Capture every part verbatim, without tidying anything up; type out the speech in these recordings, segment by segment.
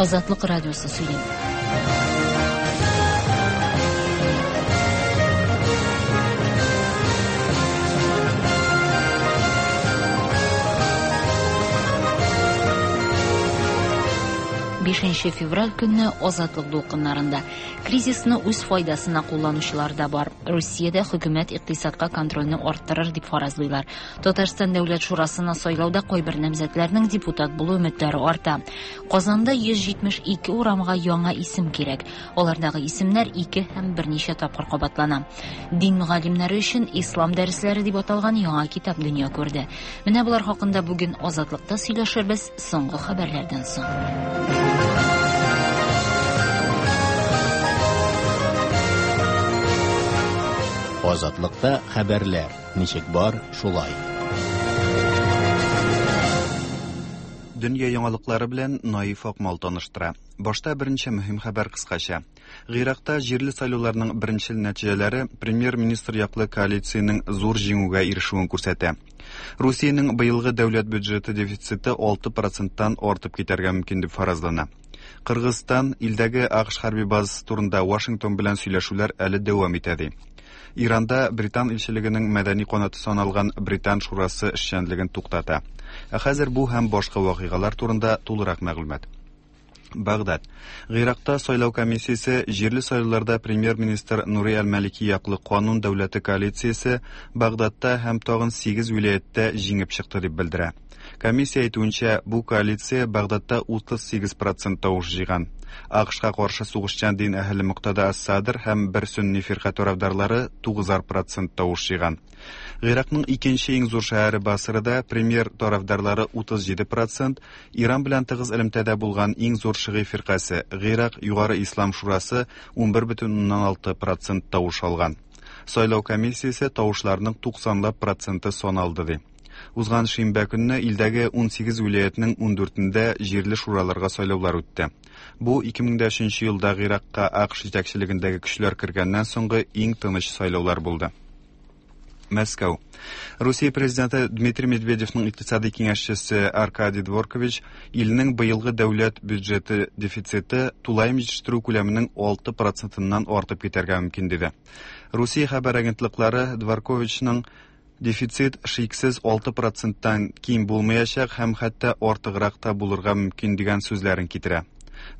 Азатлык радиосы сөйли. Бишенче февраль көнне Азатлык дулкыннарында кризисны үз файдасына кулланучылар да бар. Русиядә хөкүмәт икътисадка контрольне арттырыр дип фаразлыйлар. Татарстан Дәүләт Шурасына сайлауда кайбер намзәтләрнең депутат булу өметләре арта. Казанда йөз җитмеш ике урамга яңа исем кирәк. Алардагы исемнәр ике һәм берничә тапкыр кабатлана. Дин мөгаллимнәре өчен Ислам дәресләре дип аталган яңа китап дөнья күрде. Менә болар хакында бүген Азатлыкта сөйләшербез соңгы хәбәрләрдән соң. Азатлыкта хәбәрләр ничек бар, шулай. Дөнья яңалыклары белән Наиф Акмал таныштыра. Башта беренче мөһим хәбәр кыскача. Гыйракта җирле сайлауларның беренче нәтиҗәләре премьер-министр яклы коалициянең зур җиңүгә ирешүен күрсәтә. Русиянең быелгы дәүләт бюджеты дефициты алты проценттан артып китәргә мөмкин дип фаразлана. Кыргызстан илдәге АКШ хәрби базасы турында Вашингтон белән сөйләшүләр әле дәвам итә ди. Иранда Британ илчелегенең мәдәни канаты саналган Британ шурасы эшчәнлеген туктата. Ә хәзер бу һәм башка вакыйгалар турында тулырак мәгълүмат. Багдад. Гыйракта сайлау комиссиясе җирле сайлауларда премьер-министр Нури әл-Малики яклы канун дәүләте коалициясе Багдадта һәм тагын сигез вилаяттә җиңеп чыкты дип белдерә. Комиссия әйтүенчә, бу коалиция Багдадта утыз сигез процент тавыш җыйган. АКШка каршы сугышчан дин әһеле Муктада ас-Садр һәм бер сөнни фирка тарафдарлары тугызар процент тавыш җыйган. Гыйракның икенче иң зур шәһәре Басрада премьер тарафдарлары утыз җиде процент, Иран белән тыгыз элемтәдә булган иң зур шигый фиркасе Гыйрак Югары Ислам Шурасы унбер бөтен уннан алты процент тавыш алган. Сайлау комиссиясе тавышларның туксанлап проценты саналды ди. Узган шимбә көнне илдәге ун сигез вилаятның ун дүртендә җирле шураларга сайлаулар үтте. Бу ике мең дә өченче елда Гыйракка АКШ җитәкчелегендәге көчләр кергәннән соңгы иң тыныч сайлаулар булды. Мәскәү. Русия президенты Дмитрий Медведевның икътисади киңәшчесе Аркадий Дворкович илнең быелгы дәүләт бюджеты дефициты тулаем җитештерү күләменең алты процентыннан артып китәргә мөмкин диде. Русия хәбәр агентлыклары Дворковичның дефицит шиксез алты проценттан ким булмаячак һәм хәтта артыграк та булырга мөмкин дигән сүзләрен китерә.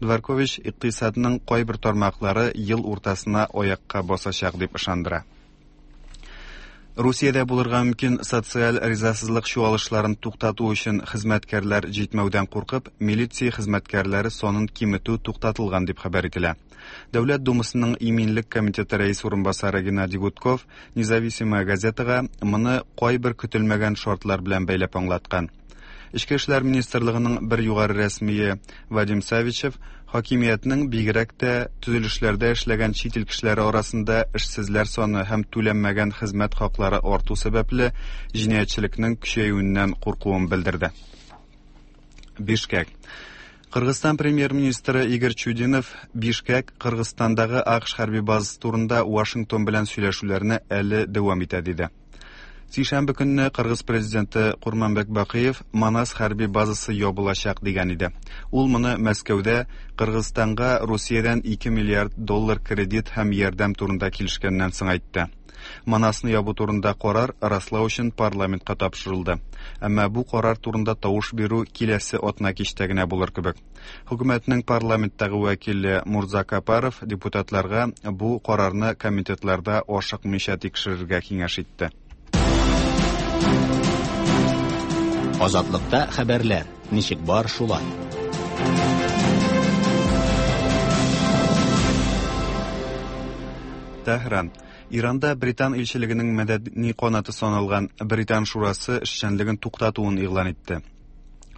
Дворкович икътисадның кайбер тармаклары ел уртасына аякка басачак дип ышандыра. Русиядә булырга мөмкин социаль ризасызлык чуалышларын туктату өчен хезмәткәрләр җитмәүдән куркып, милиция хезмәткәрләре санын киметү туктатылган дип хәбәр ителә. Дәүләт Думасының Иминлек комитеты рәис урынбасары Геннадий Гудков Независимая газетага моны кайбер көтелмәгән шартлар белән бәйләп аңлаткан. Эчке эшләр министрлыгының бер югары рәсмие Вадим Савичев хакимиятнең бигрәк тә төзелешләрдә эшләгән чит ил кешеләре арасында эшсезләр саны һәм түләнмәгән хезмәт хаклары арту сәбәпле җинаятьчелекнең көчәюеннән куркуын белдерде. Бишкек. Кыргызстан премьер-министры Игорь Чудинов Бишкек Кыргызстандагы АКШ хәрби базасы турында Вашингтон белән сөйләшүләрне әле дәвам итә диде. Сишәмбе көнне Кыргыз президенты Курманбек Бакиев Манас хәрби базасы ябылачак дигән иде. Ул моны Мәскәүдә Кыргызстанга Русиядән ике миллиард доллар кредит һәм ярдәм турында килешкәннән соң әйтте. Манасны ябу турында карар раслау өчен парламентка тапшырылды. Әмма бу карар турында тавыш бирү киләсе атна кичтә генә булыр кебек. Хөкүмәтнең парламенттагы вәкиле Мурза Капаров депутатларга бу карарны комитетларда ашыкмыйча тикшерергә киңәш итте. Азатлыкта хәбәрләр ничек бар, шулай. Тәһран. Иранда Британ илчелегенең мәдәни канаты саналган Британ шурасы эшчәнлеген туктатуын игълан итте.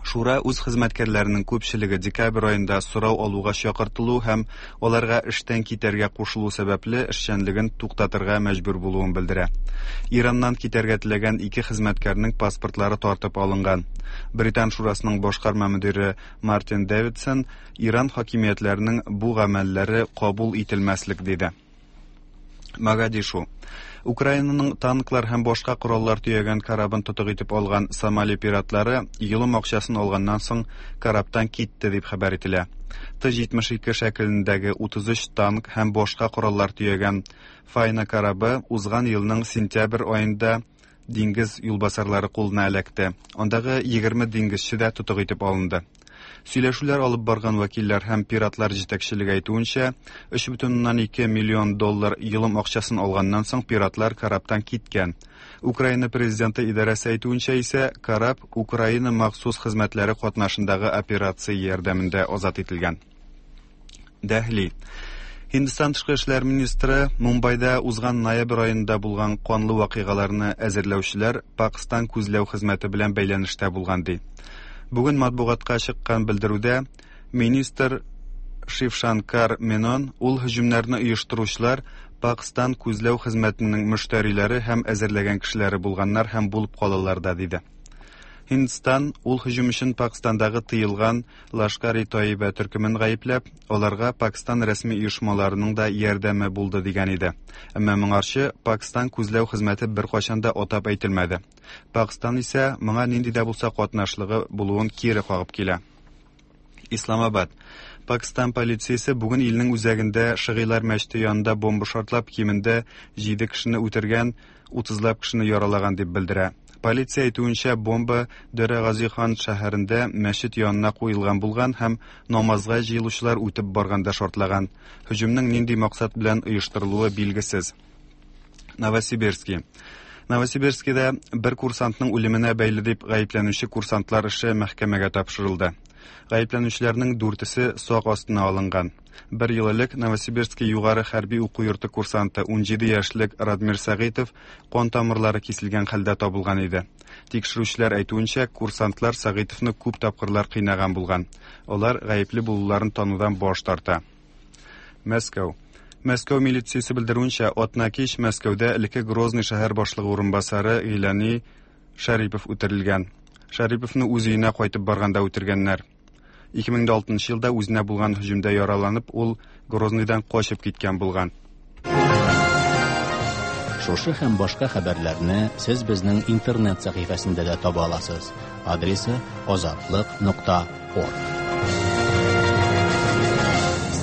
Шура үз хезмәткәрләренең күпчелеге декабрь аенда сорау алуга чакыртылу һәм аларга эштән китәргә кушылу сәбәпле эшчәнлеген туктатырга мәҗбүр булуын белдерә. Ираннан китәргә теләгән ике хезмәткәрнең паспортлары тартып алынган. Британ шурасының башкарма мөдире Мартин Дэвидсон Иран хакимиятләренең бу гамәлләре кабул ителмәслек диде. Могадишу. Украинаның танклар һәм башка кораллар төягән корабын тотык итеп алган Сомали пиратлары йолым акчасын алганнан соң корабтан китте дип хәбәр ителә. Т җитмеш ике шәкелендәге утыз өч танк һәм башка кораллар төягән Файна корабы узган елның сентябрь аенда диңгез юлбасарлары кулына эләкте. Андагы егерме диңгезче дә тотык итеп алынды. Сөйләшүләр алып барган вәкилләр һәм пиратлар җитәкчелеге әйтүенчә, өч бөтен уннан ике миллион доллар йолым акчасын алганнан соң пиратлар корабтан киткән. Украина президенты идарәсе әйтүенчә исә, кораб Украина махсус хезмәтләре катнашындагы операция ярдәмендә азат ителгән. Дәһли. Һиндстан тышкы эшләр министры Мумбайда узган ноябрь аенда булган канлы вакыйгаларны әзерләүчеләр Пакстан күзләү хезмәте белән бәйләнештә булган ди. Бүген матбугатка чыккан белдерүдә министр Шившанкар Менон ул һөҗүмнәрне оештыручылар Пакстан күзләү хезмәтенең мөштәриләре һәм әзерләгән кешеләре булганнар һәм булып калалар да диде. Һиндстан ул һөҗүм өчен Пакстандагы тыелган Лашкар-и-Таиба төркемен гаепләп, аларга Пакстан рәсми оешмаларының да ярдәме булды дигән иде. Әмма моңарчы Пакстан күзләү хезмәте беркайчан да атап әйтелмәде. Пакстан исә моңа нинди дә булса катнашлыгы булуын кире кагып килә. Исламабад. Пакстан полициясе бүген илнең үзәгендә Шыгыйлар мәчете янында бомба шартлап кимендә җиде кешене үтергән, утызлап кешене яралаган дип белдерә. Полиция әйтүенчә, бомба Дөрә Газихан шәһәрендә мәчет янына куелган булган һәм намазга җыелучылар үтеп барганда шартлаган. Һөҗүмнең нинди максат белән оештырылуы билгесез. Новосибирский. Новосибирскида бер курсантның үлеменә бәйле дип гаепләнүче курсантлар эше мәхкәмәгә тапшырылды. Гаепләнүчеләрнең дүртесе сак астына алынган. Бер ел элек Новосибирский югары хәрби уку йорты курсанты ун җиде яшьлек Радмир Сәгыйтов кан тамырлары киселгән хәлдә табылган иде. Тикшерүчеләр әйтүенчә, курсантлар Сәгыйтовны күп тапкырлар кыйнаган булган. Алар гаепле булуларын танудан баш тарта. Мәскәү. Мәскәү милициясе белдерүенчә, атна кич Мәскәүдә элекке Грозный шәһәр башлыгы урынбасары Гыйлани Шәрипов үтерелгән. Шәриповны үз өенә кайтып барганда үтергәннәр. ике мең алтынчы елда үзенә булган һөҗүмдә яраланып, ул Грозныйдан качып киткән булган. Шушы һәм башка хәбәрләрне сез безнең интернет сәхифәсендә дә таба аласыз. Адресы азатлык нокта орг.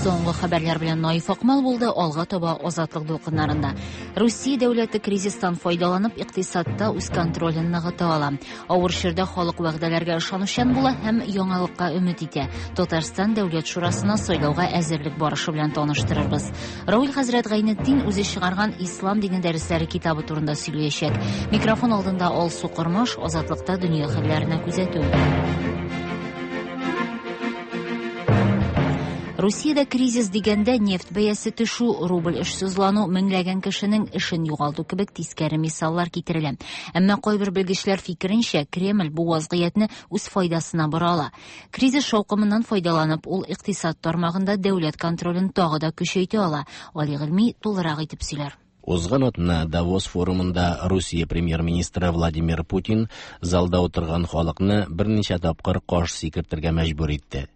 Соңгы хәбәрләр белән Наиф Акмал булды, алга таба Азатлык дулкыннарында. Русия дәүләте кризистан файдаланып, икътисадта үз контролен ныгыта ала. Авыр чорда халык вәгъдәләргә ышанучан була һәм яңалыкка өмет итә. Татарстан Дәүләт Шурасына сайлауга әзерлек барышы белән таныштырырбыз. Равил хәзрәт Гайнетдин үзе чыгарган Ислам дине дәресләре китабы турында сөйләячәк. Микрофон алдында Алсу Кормаш, Азатлыкта дөнья хәлләренә күзәтү. Русиядә кризис дигәндә нефть бәясе төшү, рубль эшсезлану, меңләгән кешенең эшен югалту кебек тискәре мисаллар китерелә. Әмма кайбер белгечләр фикеренчә, Кремль бу вазгыятьне үз файдасына бора ала. Кризис шаукымыннан файдаланып, ул икътисад тармагында дәүләт контролен тагы да көчәйтә ала. Али Гыйльми тулырак итеп сөйләр. Узган атна Давос форумында Русия премьер-министры Владимир Путин залда утырган халыкны берничә тапкыр каш сикертергә мәҗбүр итте.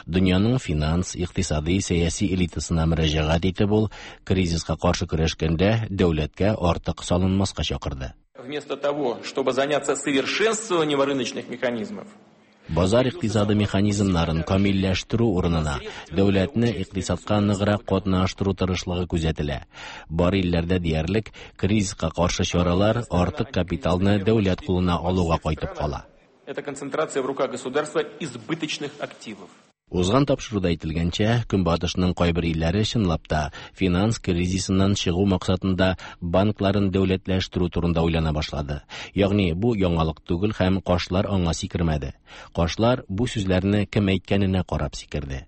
Дөньяның финанс, икътисади, сәяси элитасына мөрәҗәгать итеп ул кризиска каршы көрәшкәндә дәүләткә артык салынмаска чакырды. Вместо того, чтобы заняться совершенствованием рыночных механизмов, Базар икътисады механизмнарын камилләштерү урынына дәүләтне икътисадка ныграк катнаштыру тырышлыгы күзәтелә. Бар илләрдә диярлек кризиска каршы чаралар артык капиталны дәүләт кулына алуга кайтып кала. Это концентрация в руках государства избыточных активов. Узган тапшыруда әйтелгәнчә, Көнбатышның кайбер илләре чынлап та финанс кризисыннан чыгу максатында банкларын дәүләтләштерү турында уйлана башлады. Ягъни бу яңалык түгел һәм кашлар аңа сикермәде. Кашлар бу сүзләрне кем әйткәненә карап сикерде.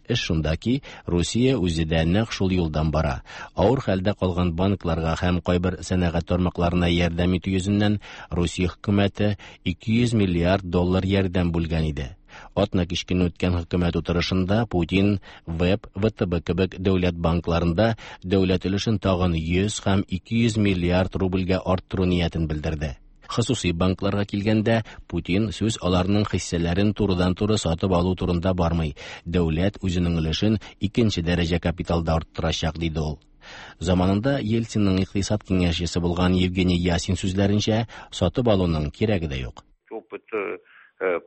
Эш шунда ки, Русия үзе дә нәкъ шул юлдан бара. Авыр хәлдә калган банкларга һәм кайбер сәнәгать тармакларына ярдәм итү йөзеннән Русия хөкүмәте ике йөз миллиард доллар ярдәм бүлгән иде. Атна кичкен үткән хөкүмәт утырышында Путин ВЭБ, вэ тэ бэ кебек дәүләт банкларында дәүләт өлешен тагын йөз һәм ике йөз миллиард рубльгә арттыру ниятен белдерде. Хосуси банкларга килгәндә, Путин сүз аларның хиссәләрен турыдан-туры сатып алу турында бармый. Дәүләт үзенең өлешен икенче дәрәҗә капиталда арттырачак, диде ул. Заманында Ельцинның икътисад киңәшчесе булган Евгений Ясин сүзләренчә, сатып алуның кирәге дә юк. Опыт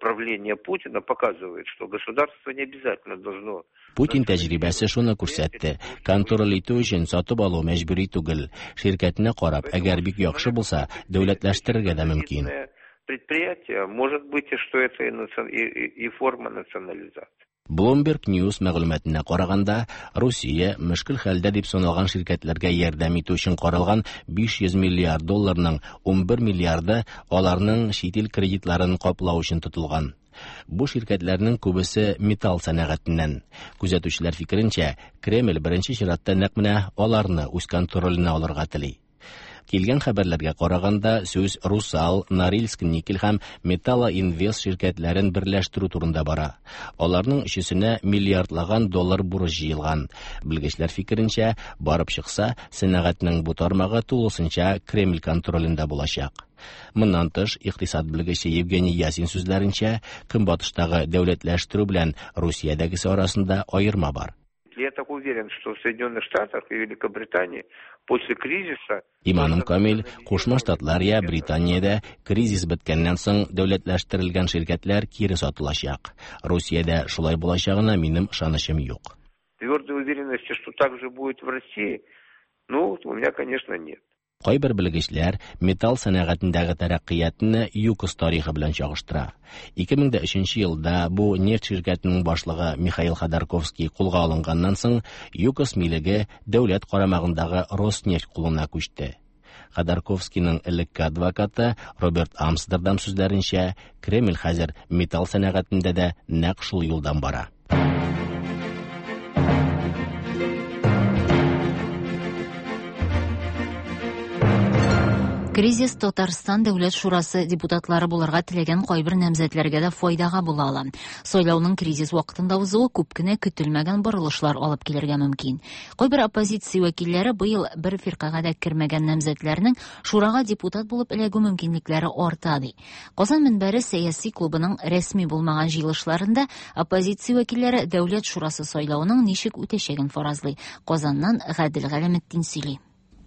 правления Путина показывает, что государство не обязательно должно. Путин тәҗрибәсе шуны күрсәтте. Контроль итү өчен сатып алу мәҗбүри түгел. Ширкәтенә карап, әгәр бик яхшы булса, дәүләтләштерергә дә мөмкин. Предприятие, может быть, что это и, и, и форма национализации. Bloomberg News мәгълүматына караганда, Русия мөшкел хәлдә дип саналган ширкәтләргә ярдәм итү өчен каралган биш йөз миллиард долларның ун бер миллиарды аларның чит ил кредитларын каплау өчен тотылган. Бу ширкәтләрнең күбесе металл сәнәгатеннән. Күзәтүчеләр фикеренчә, Кремль беренче чиратта нәкъ менә аларны үз контроленә алырга тели. Килгән хәбәрләргә караганда, сүз Русал, Норильск никель һәм Металлоинвест ширкәтләрен берләштерү турында бара. Аларның өчесенә миллиардлаган доллар бурыч җыелган. Белгечләр фикеренчә, барып чыкса, сәнәгатьнең бу тармагы тулысынча Кремль контролендә булачак. Моннан тыш, икътисад белгече Евгений Ясин сүзләренчә, Көнбатыштагы дәүләтләштерү белән Русиядәгесе арасында аерма бар. Я так уверен, что в Соединенных Штатах и Великобритании после кризиса... Иманым камил, Кушма Штатлар я Британиядә кризис беткәннән соң дәүләтләштерелгән ширкәтләр кире сатылачак. Русиядә шулай булачагына минем ышанычым юк. Твердой уверенности, что так же будет в России, ну, у меня, конечно, нет. Кайбер белгечләр металл сәнәгатендәге тәрәккыятны ЮКОС тарихы белән чагыштыра. ике мең дә өченче елда бу нефть ширкәтенең башлыгы Михаил Ходорковский кулга алынганнан соң ЮКОС милеге дәүләт карамагындагы Роснефть кулына күчте. Ходорковскийның элекке адвокаты Роберт Амстердам сүзләренчә, Кремль хәзер металл сәнәгатендә дә нәкъ шул юлдан бара. Кризис Татарстан Дәүләт Шурасы депутатлары булырга теләгән кайбер намзәтләргә дә файдага була ала. Сайлауның кризис вакытында узуы күп кенә көтелмәгән борылышлар алып килергә мөмкин. Кайбер оппозиция вәкилләре быел бер фиркагә дә кермәгән намзәтләрнең шурага депутат булып эләгү мөмкинлекләре арта ди. Казан мөнбәре сәяси клубының рәсми булмаган җыелышларында оппозиция вәкилләре Дәүләт Шурасы сайлауының ничек үтәчәген фаразлый. Казаннан Гадел Галәметдин сөйли.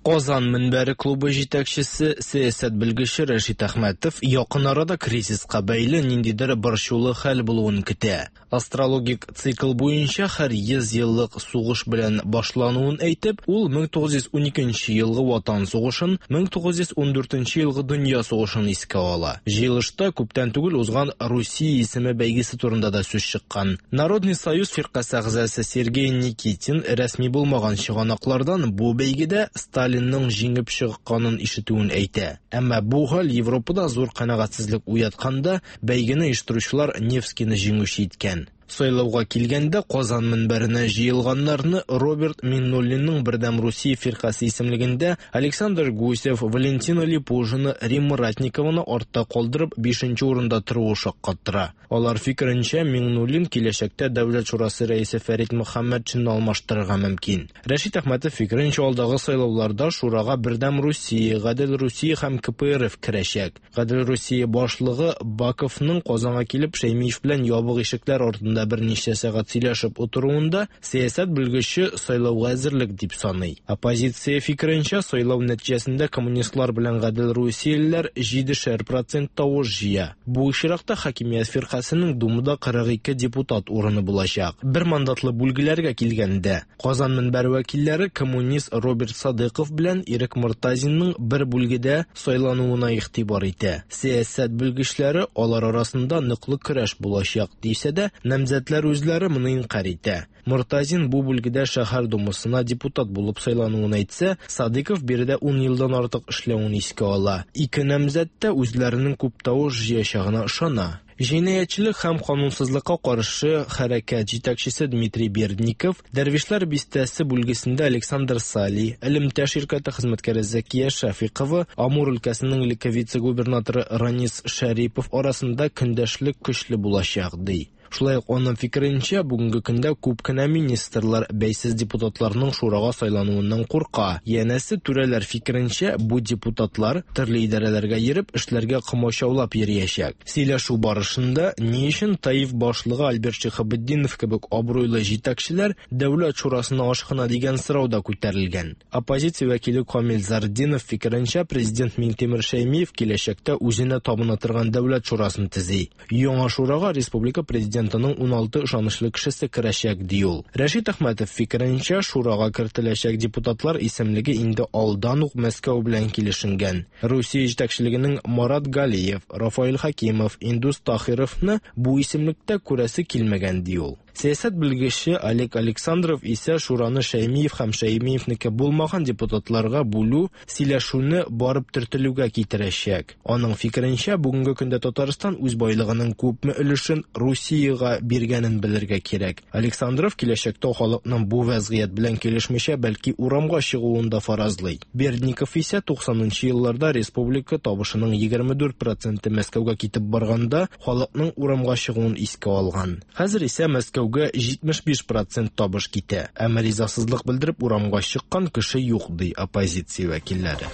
Казан мөнбәре клубы җитәкчесе, сәясәт белгече Рәшит Әхмәтов якын арада кризиска бәйле ниндидер борчулы хәл булуын көтә. Астрологик цикл буенча һәр йөз еллык сугыш белән башлануын әйтеп, ул мең тугыз йөз уникенче елгы Ватан сугышын, мең тугыз йөз ундүртенче елгы Дөнья сугышын искә ала. Җыелышта күптән түгел узган Русия исеме бәйгесе турында да сүз чыккан. Народный союз фиркасе әгъзасы Сергей Никитин рәсми булмаган чыганаклардан бу бәйгедә Сталинның җиңеп чыкканын ишетүен әйтә. Әмма бу хәл Европада зур канәгатьсезлек уятканда, бәйгене оештыручылар Невскийны җиңүче иткән. Сайлауга килгәндә Казан мөнбәренә җыелганнарны Роберт Миннуллинның Бердәм Русия фиркасе исемлегендә Александр Гусев, Валентина Липужина, Римма Ратникованы артта калдырып бишенче урында торуы шаккаттыра. Алар фикеренчә, Миннуллин киләчәктә Дәүләт Шурасы рәисе Фәрит Мөхәммәтшинны алмаштырырга мөмкин. Рәшит Әхмәтов фикеренчә, алдагы сайлауларда шурага Бердәм Русия, Гадел Русия һәм К П Р Ф керәчәк. Гадел Русия башлыгы Баковның Казанга килеп Шәймиев белән ябык ишекләр артында берничә сәгать сөйләшеп утыруында сәясәт белгече сайлауга әзерлек дип саный. Оппозиция фикеренчә, сайлау нәтиҗәсендә коммунистлар белән Гадел Русиялеләр җидешәр процент тавыш җыя. Бу очракта хакимият фиркасының Думада кырык ике депутат урыны булачак. Бер мандатлы бүлгеләргә килгәндә, Казан мөнбәре вәкилләре коммунист Роберт Садыйков белән Ирек Мортазинның бер бүлгедә сайлануына игътибар итә. Сәясәт белгечләре алар арасында ныклы көрәш булачак дисә дә, намзәтләр үзләре моны инкарь итә. Мортазин бу бүлгедә шәһәр думасына депутат булып сайлануын әйтсә, Садыйков биредә ун елдан артык эшләвен искә ала. Ике намзәт тә үзләренең күп тавыш җыячагына ышана. Җинаятьчелек һәм канунсызлыкка каршы хәрәкәт җитәкчесе Дмитрий Бердников, Дәрвишләр бистәсе бүлгесендә Александр Сали, элемтә ширкәте хезмәткәре Зәкия Шәфикова, Амур өлкәсенең элекке вице-губернаторы Ранис Шәрипов арасында көндәшлек көчле булачак, ди. Шулай ук аның фикеренчә, бүгенге көндә күп кенә министрлар бәйсез депутатларның шурага сайлануыннан курка. Янәсе, түрәләр фикеренчә, бу депутатлар төрле идарәләргә йөреп, эшләргә комачаулап йөриячәк. Сөйләшү барышында ни өчен Таиф башлыгы Альберт Шиһабетдинов кебек абруйлы җитәкчеләр Дәүләт шурасына ашкына дигән сорау да күтәрелгән. Оппозиция вәкиле Камил Зартдинов фикеренчә, президент Миңтимер Шәймиев киләчәктә үзенә табына торган Дәүләт шурасын төзи. Яңа шурага республика президентының уналты ышанычлы кешесе керәчәк, ди ул. Рәшит Әхмәтов фикеренчә, шурага кертеләчәк депутатлар исемлеге инде алдан ук Мәскәү белән килешенгән. Русия җитәкчелегенең Марат Галиев, Рафаэль Хакимов, Индус Тахировны бу исемлектә күрәсе килмәгән, ди ул. Сәясәт белгече Олег Александров исә шураны Шәймиев һәм Шәймиевнеке булмаган депутатларга бүлү сөйләшүне барып төртелүгә китерәчәк. Аның фикеренчә, бүгенге көндә Татарстан үз байлыгының күпме өлешен Русиягә биргәнен белергә кирәк. Александров киләчәктә халыкның бу вәзгыять белән килешмичә, бәлки урамга чыгуын да фаразлый. Бердников исә туксанынчы елларда республика табышының егерме дүрт проценты Мәскәүгә китеп барганда халыкның урамга чыгуын искә алган. Хәзер исә Мәскәү җитмеш биш процент табыш китә. Әмма ризасызлык белдереп урамга чыккан кеше юк, ди оппозиция вәкилләре.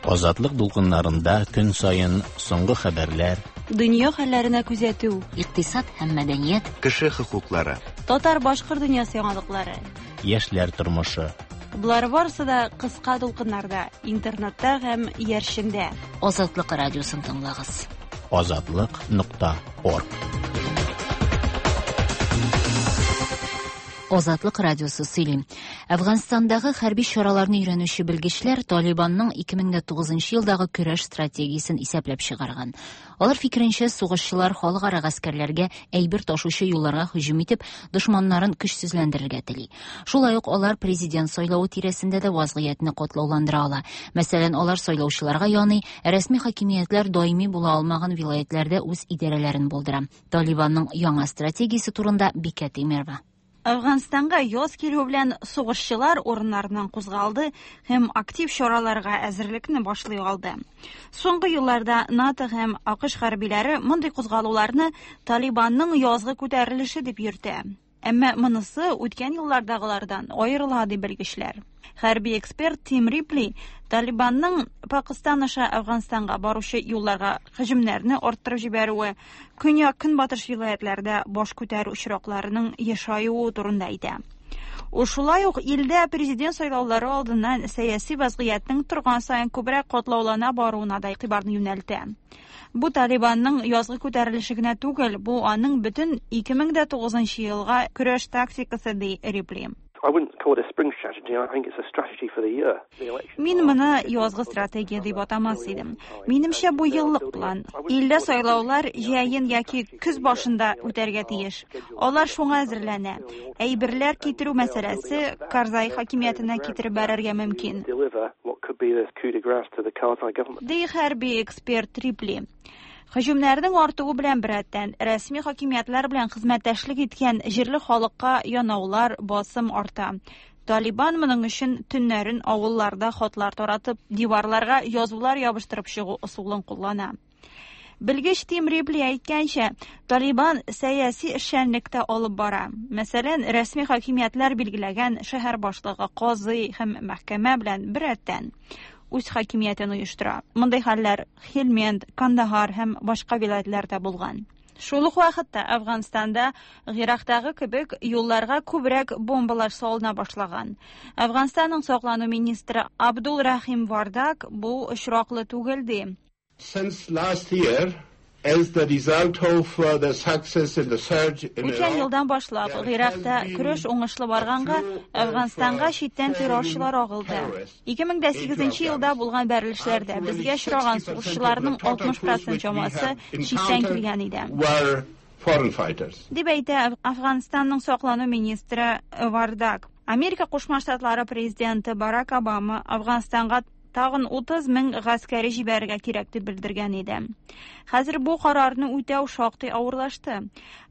Азатлык дулкыннарында көн саен соңгы хәбәрләр, дөнья хәлләренә күзәтү, икътисад һәм мәдәният, кеше хокуклары, татар-башкорт дөньясы яңалыклары, яшьләр тормышы. Болар барысы да кыска дулкыннарда, интернетта һәм иярчендә. Азатлык радиосын тыңлагыз. Азатлык нокта орг. Азатлык радиосы сөйли. Әфганстандагы хәрби чараларны өйрәнүче белгечләр Талибанның ике мең дә тугызынчы елдагы көрәш стратегиясен исәпләп чыгарган. Алар фикеренчә, сугышчылар халыкара гаскәрләргә әйбер ташучы юлларга һөҗүм итеп, дошманнарын көчсезләндерергә тели. Шулай ук алар президент сайлавы тирәсендә дә вазгыятьне катлауландыра ала. Мәсәлән, алар сайлаучыларга яный, рәсми хакимиятләр даими була алмаган вилаятләрдә үз идарәләрен булдыра. Талибанның яңа стратегиясе турында Бикә Тимирова. Әфганстанга яз килү белән сугышчылар урыннарыннан кузгалды һәм актив чараларга әзерлекне башлый алды. Соңгы елларда НАТО һәм АКШ хәрбиләре мондый кузгалуларны Талибанның язгы күтәрелеше дип йөртә. Әмма монысы үткән еллардагылардан аерыла, ди белгечләр. Хәрби эксперт Тим Рипли Талибанның Пакистан аша Әфганстанга баручы юлларга һөҗүмнәрне арттырып җибәрүе, көньяк-көнбатыш вилаятларда баш күтәрү очракларының ешаюы турында әйтә. Ул шулай ук илдә президент сайлаулары алдыннан сәяси вазгыятьнең торган саен күбрәк катлаулана баруына да игътибарны юнәлтә. Бу Талибанның язгы күтәрелеше генә түгел, бу аның бөтен ике мең дә тугызынчы елга көрәш тактикасы, ди Рипли. Мин моны язгы стратегия дип атамас идем. Минемчә, бу еллык план. Илдә сайлаулар җәен яки көз башында үтәргә тиеш. Алар шуңа әзерләнә. Әйберләр китерү мәсьәләсе Карзай хакимиятенә китереп бәрергә мөмкин. Ди хәрби эксперт Рипли. Һөҗүмнәрнең артуы белән беррәттән рәсми хакимиятләр белән хезмәттәшлек иткән җирле халыкка янаулар, басым арта. Талибан моның өчен төннәрен авылларда хатлар таратып, диварларга язулар ябыштырып чыгу ысулын куллана. Белгеч Тим Рипли әйткәнчә, Талибан сәяси эшчәнлектә алып бара. Мәсәлән, рәсми хакимиятләр билгеләгән шәһәр башлыгы, казый һәм мәхкәмә белән беррәттән үз хакимиятен оештыра. Мондый хәлләр Хельмент, Кандахар һәм башка вилаятларда булган. Шул ук вакытта Әфганстанда Ирактагы кебек юлларга күбрәк бомбалар салына башлаган. Әфганстанның саклану министры Абдул Рахим Вардак бу очраклы түгел ди. Since last year, as the result of the success in the surge in Үткән елдан башлап Иракта көрәш уңышлы барганга Әфганстанга читтән террорчылар агылды. ике мең дә сигезенче елда булган бәрелешләрдә безгә очраган сугышчыларның алтмыш процент чамасы читтән килгән иде. Дип әйтә Әфганстанның саклану министры Вардак. Америка Кушма Штатлары президенты Барак Обама Әфганстанга тагын утыз мең гаскәри җибәрергә кирәк дип белдергән иде. Хәзер бу карарны үтәү шактый авырлашты.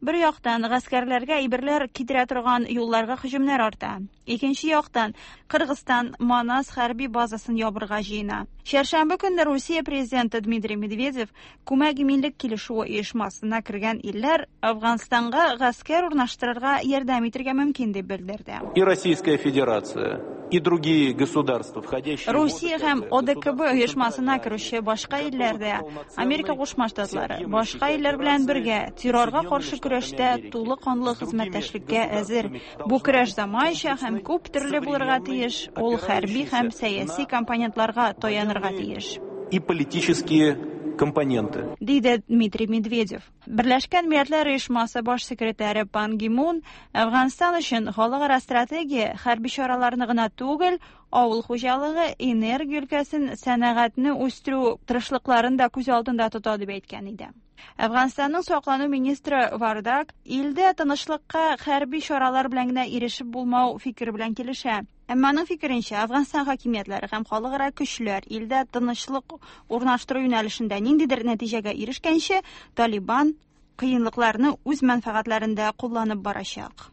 Бер яктан гаскәрләргә әйберләр китерә торган юлларга һөҗүмнәр арта. Икенче яктан Кыргызстан Манас хәрби базасын ябырга җыена. Чәршәмбе көнне Русия президенты Дмитрий Медведев күмәк иминлек килешүе оешмасына кергән илләр Афганстанга гаскәр урнаштырырга ярдәм итәргә мөмкин дип белдерде. И Российская Федерация, и другие государства, входящие Русия һәм О Д К Б оешмасына керүче башка илләрдә Америка Кушма Штатлары башка илләр белән бергә террорга каршы көрәштә тулы канлы хезмәттәшлеккә әзер. Бу көрәш заманча һәм күп төрле булырга тиеш, ул хәрби һәм сәяси компонентларга таянырга тиеш. И политические компоненты. Диде Дмитрий Медведев. Берләшкән Милләтләр Оешмасы баш секретаре Пан Ги Мун Әфганстан өчен халыкара стратегия хәрби чараларны гына түгел, авыл хуҗалыгы, энергия өлкәсен, сәнәгатьне үстерү тырышлыкларын да күз алдында тота дип әйткән иде. Әфганстанның саклану министры Вардак илдә тынычлыкка хәрби чаралар белән генә ирешеп булмау фикере белән килешә. Әмма аның фикеренчә, Әфганстан хакимиятләре һәм халыкара көчләр илдә тынычлык урнаштыру юнәлешендә ниндидер нәтиҗәгә ирешкәнче, Талибан кыенлыкларны үз мәнфәгатьләрендә кулланып барачак.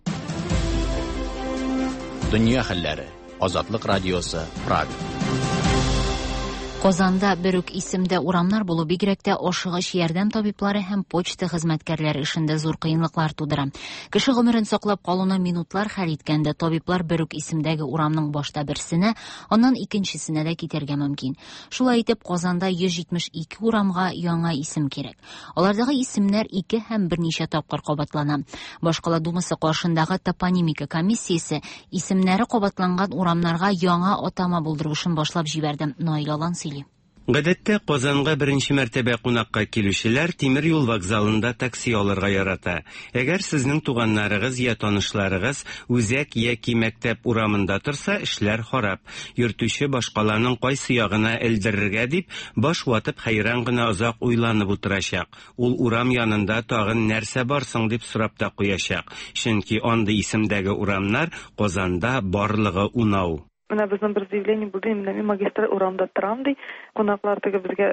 Дөнья хәлләре. Азатлык радиосы, Прага. Казанда бер үк исемдә урамнар булу бигрәк тә ашыгыч ярдәм табиблары һәм почта хезмәткәрләре эшендә зур кыенлыклар тудыра. Кеше гомерен саклап калуны минутлар хәл иткәндә табиблар бер үк исемдәге урамның башта берсенә, аннан икенчесенә дә китәргә мөмкин. Шулай итеп, Казанда йөз җитмеш ике урамга яңа исем кирәк. Алардагы исемнәр ике һәм берничә тапкыр кабатлана. Башкала думасы каршындагы топонимика комиссиясе исемнәре кабатланган урамнарга яңа атама булдыру эшен башлап җибәрде. Наил Алан сөйли. Гадәттә Казанга беренче мәртәбә кунакка килүчеләр тимер юл вокзалында такси алырга ярата. Әгәр сезнең туганнарыгыз я танышларыгыз үзәк яки мәктәп урамында торса, эшләр харап. Йөртүче башкаланың кайсы ягына элдерергә дип, баш ватып хәйран гына озак уйланып утырачак. Ул урам янында тагын нәрсә бар соң дип сорап та куячак. Чөнки андый исемдәге урамнар Казанда барлыгы унау. Менә безнең бер заявление булды, менә мин магистраль урамда торам ди, кунаклар теге безгә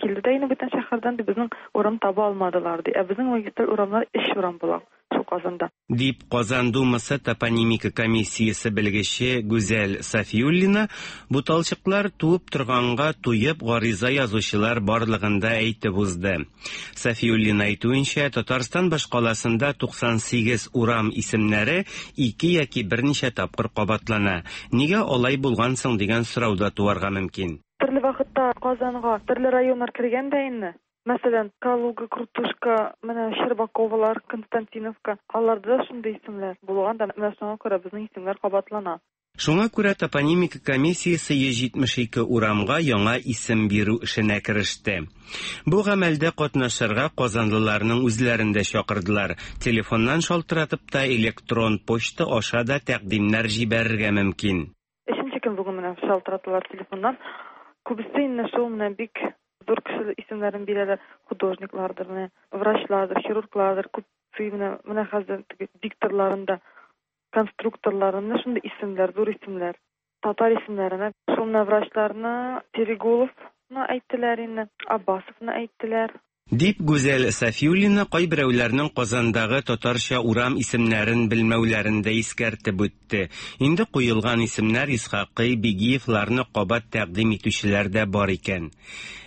килде дә инде бүтән шәһәрдән ди, безнең урам таба алмадылар ди. Ә безнең магистраль урамнар өч урам була шул Казанда. Дип Казан Думасы топонимика комиссиясе белгече Гүзәл Сафиуллина буталчыклар туып торганга туеп гариза язучылар барлыгында әйтеп узды. Сафиуллина әйтүенчә, Татарстан башкаласында туксан сигез урам исемнәре ике яки берничә тапкыр кабатлана. Нигә алай булган соң дигән сорау да туарга мөмкин. Төрле вакытта Казанга төрле районнар кергән дә инде. Мәсәлән, Калуга, Крутушка, менә Щербаковалар, Константиновка, аларда да шундый исемнәр булган да, менә шуңа күрә безнең исемнәр кабатлана. Шуңа күрә топонимика комиссиясе йөз җитмеш ике урамга яңа исем бирү эшенә кереште. Бу гамәлдә катнашырга казанлыларның үзләрен дә чакырдылар. Телефоннан шалтыратып та, электрон почта аша да тәкъдимнәр җибәрергә мөмкин. Өченче көн бүген менә шалтыраталар телефоннан. Күбесе инде шул менә бик зур кеше исемнәрен бирәләр, художниклардыр, менә врачлардыр, хирурглардыр, күп менә, менә хәзер теге дикторларын да, конструкторларын, менә шундый исемнәр, зур исемнәр, татар исемнәренә. Шул менә врачларны Терегуловны әйттеләр инде, Аббасовны әйттеләр. Дип Гүзәл Сафиуллина кайберәүләрнең Казандагы татарча урам исемнәрен белмәүләрен дә искәртеп үтте. Инде куелган исемнәр Исхакый, Бигиевларны кабат тәкъдим итүчеләр дә бар икән.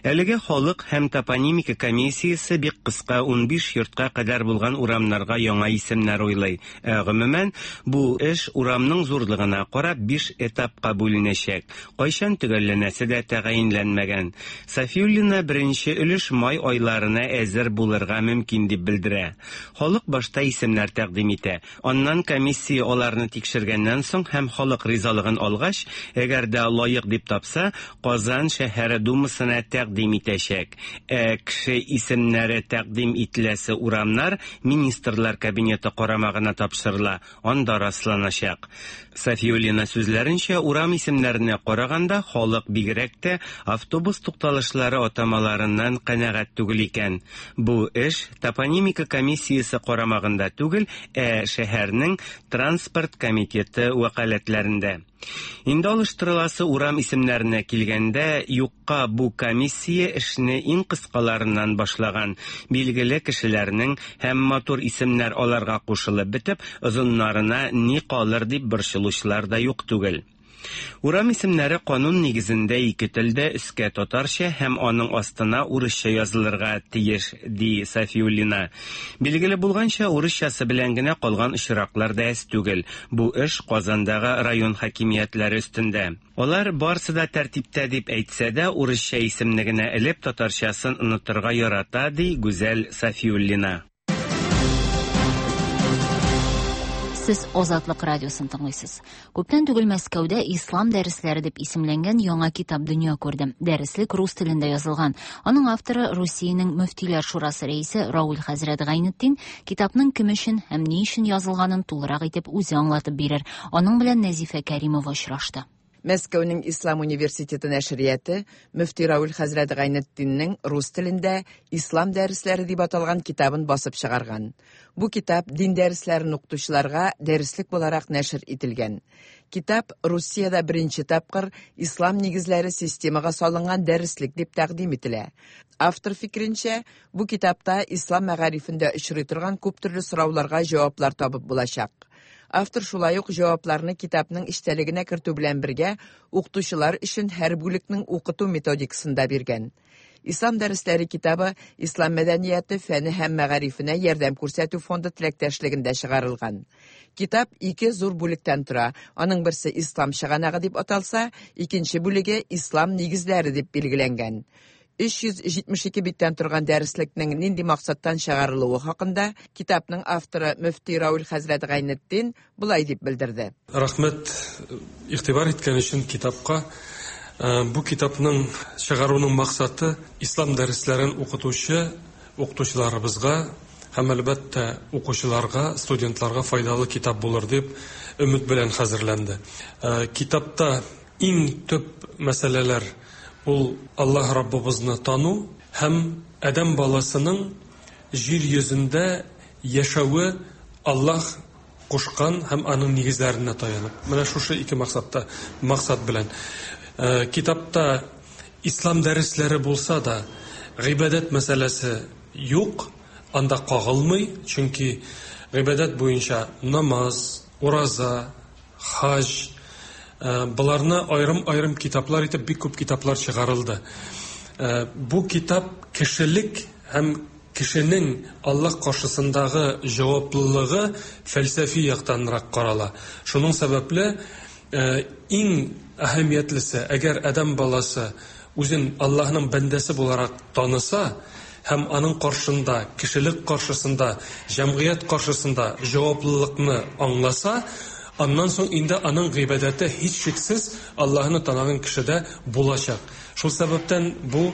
Әлеге халык һәм топонимика комиссиясе бик кыска унбиш йортка кадәр булган урамнарга яңа исемнәр уйлый. Ә гомумән, бу эш урамның зурлыгына карап биш этапка бүленәчәк. Кайчан төгәлләнәсе дә тәгаенләнмәгән. Сафиуллина беренче өлеш май айларына әзер булырга мөмкин дип белдерә. Халык башта исемнәр тәкъдим итә. Аннан комиссия аларны тикшергәннән соң һәм халык ризалыгын алгач, әгәр дә лаек дип тапса, Казан шәһәре думасына тәкъдим итәчәк. Ә кеше исемнәре тәкъдим ителәсе урамнар Министрлар кабинеты карамагына тапшырыла, анда расланачак. Сафиуллина сүзләренчә, урам исемнәренә караганда халык бигрәк тә автобус тукталышлары атамаларыннан канәгать түгел икән. икән. Бу эш топонимика комиссиясе карамагында түгел, ә шәһәрнең транспорт комитеты вәкаләтләрендә. Инде алыштырыласы урам исемнәренә килгәндә, юкка бу комиссия эшне иң кыскаларыннан башлаган. Билгеле кешеләрнең һәм матур исемнәр аларга кушылып бетеп, озыннарына ни калыр дип борчылучылар да юк түгел. Урам исемнәре канун нигезендә ике телдә өскә татарча һәм аның астына урысча язылырга тиеш, ди Сафиуллина. Билгеле булганча, урысчасы белән генә калган очраклар да әз түгел. Бу эш Казандагы район хакимиятләре өстендә. Алар барсы да тәртиптә дип әйтсә дә, урысча исемне генә элеп татарчасын онытырга ярата, ди Гүзәл Сафиуллина. Сез Азатлык радиосын тыңлыйсыз. Күптән түгел Мәскәүдә Ислам дәресләре дип исемләнгән яңа китап дөнья күрде. Дәреслек рус телендә язылган. Аның авторы Русиянең Мөфтиләр шурасы рәисе Рауль хәзрәт Гайнетдин китапның кем өчен һәм ни өчен язылганын тулырак итеп үзе аңлатып бирер. Аның белән Нәзифә Кәримова очрашты. Мәскәүнең Ислам университеты нәшрияты Мөфти Рауль хәзрәт Гайнетдиннең рус телендә Ислам дәресләре дип аталган китабын басып чыгарган. Бу китап дин дәресләрен укытучыларга дәреслек буларак нәшер ителгән. Китап Русиядә беренче тапкыр ислам нигезләре системага салынган дәреслек дип тәкъдим ителә. Автор фикеренчә, бу китапта ислам мәгарифендә очрый торган күп төрле сорауларга җаваплар табып булачак. Автор шулай ук җавапларны китапның эчтәлегенә кертү белән бергә укытучылар өчен һәр бүлекнең укыту методикасын да биргән. Ислам дәресләре китабы Ислам мәдәнияте фәне һәм мәгарифенә ярдәм күрсәтү фонды теләктәшлегендә чыгарылган. Китап ике зур бүлектән тора. Аның берсе Ислам чыганагы дип аталса, икенче бүлеге Ислам нигезләре дип билгеләнгән. Өч йөз җитмеш ике биттән торган дәреслекнең нинди максаттан чыгарылуы хакында китапның авторы Мөфти Рауль хәзрәт Гайнетдин болай дип белдерде. Рәхмәт игътибар иткән өчен китапка. Бу китапның чыгаруның максаты ислам дәресләрен укытучы укытучыларыбызга һәм әлбәттә укучыларга, студентларга файдалы китап булыр дип өмет белән хәзерләнде. Китапта иң төп мәсьәләләр ул Аллаһ Раббыбызны тану һәм адәм баласының җир йөзендә яшәве Аллаһ кушкан һәм аның нигезләренә таянып. Менә шушы ике максатта, максат белән. Китапта ислам дәресләре булса да, гыйбадәт мәсьәләсе юк, анда кагылмый, чөнки гыйбадәт буенча намаз, ураза, хаҗ, Бұларны айрым-айрым китаплар итеп бик күп китаплар чыгарылды. Бу китап кешелек һәм кешенең Аллаһ каршысындагы җаваплылыгы фәлсәфи яктанрак карала. Шуның сәбәпле иң әһәмиятлесе, әгәр адәм баласы үзен Аллаһның бәндәсе буларак таныса һәм аның каршында, кешелек каршысында, җәмгыять каршысында җаваплылыкны аңласа, аннан соң инде аның гыйбадәте һичшиксез Аллаһны таныган кешедә булачак. Шул сәбәптән бу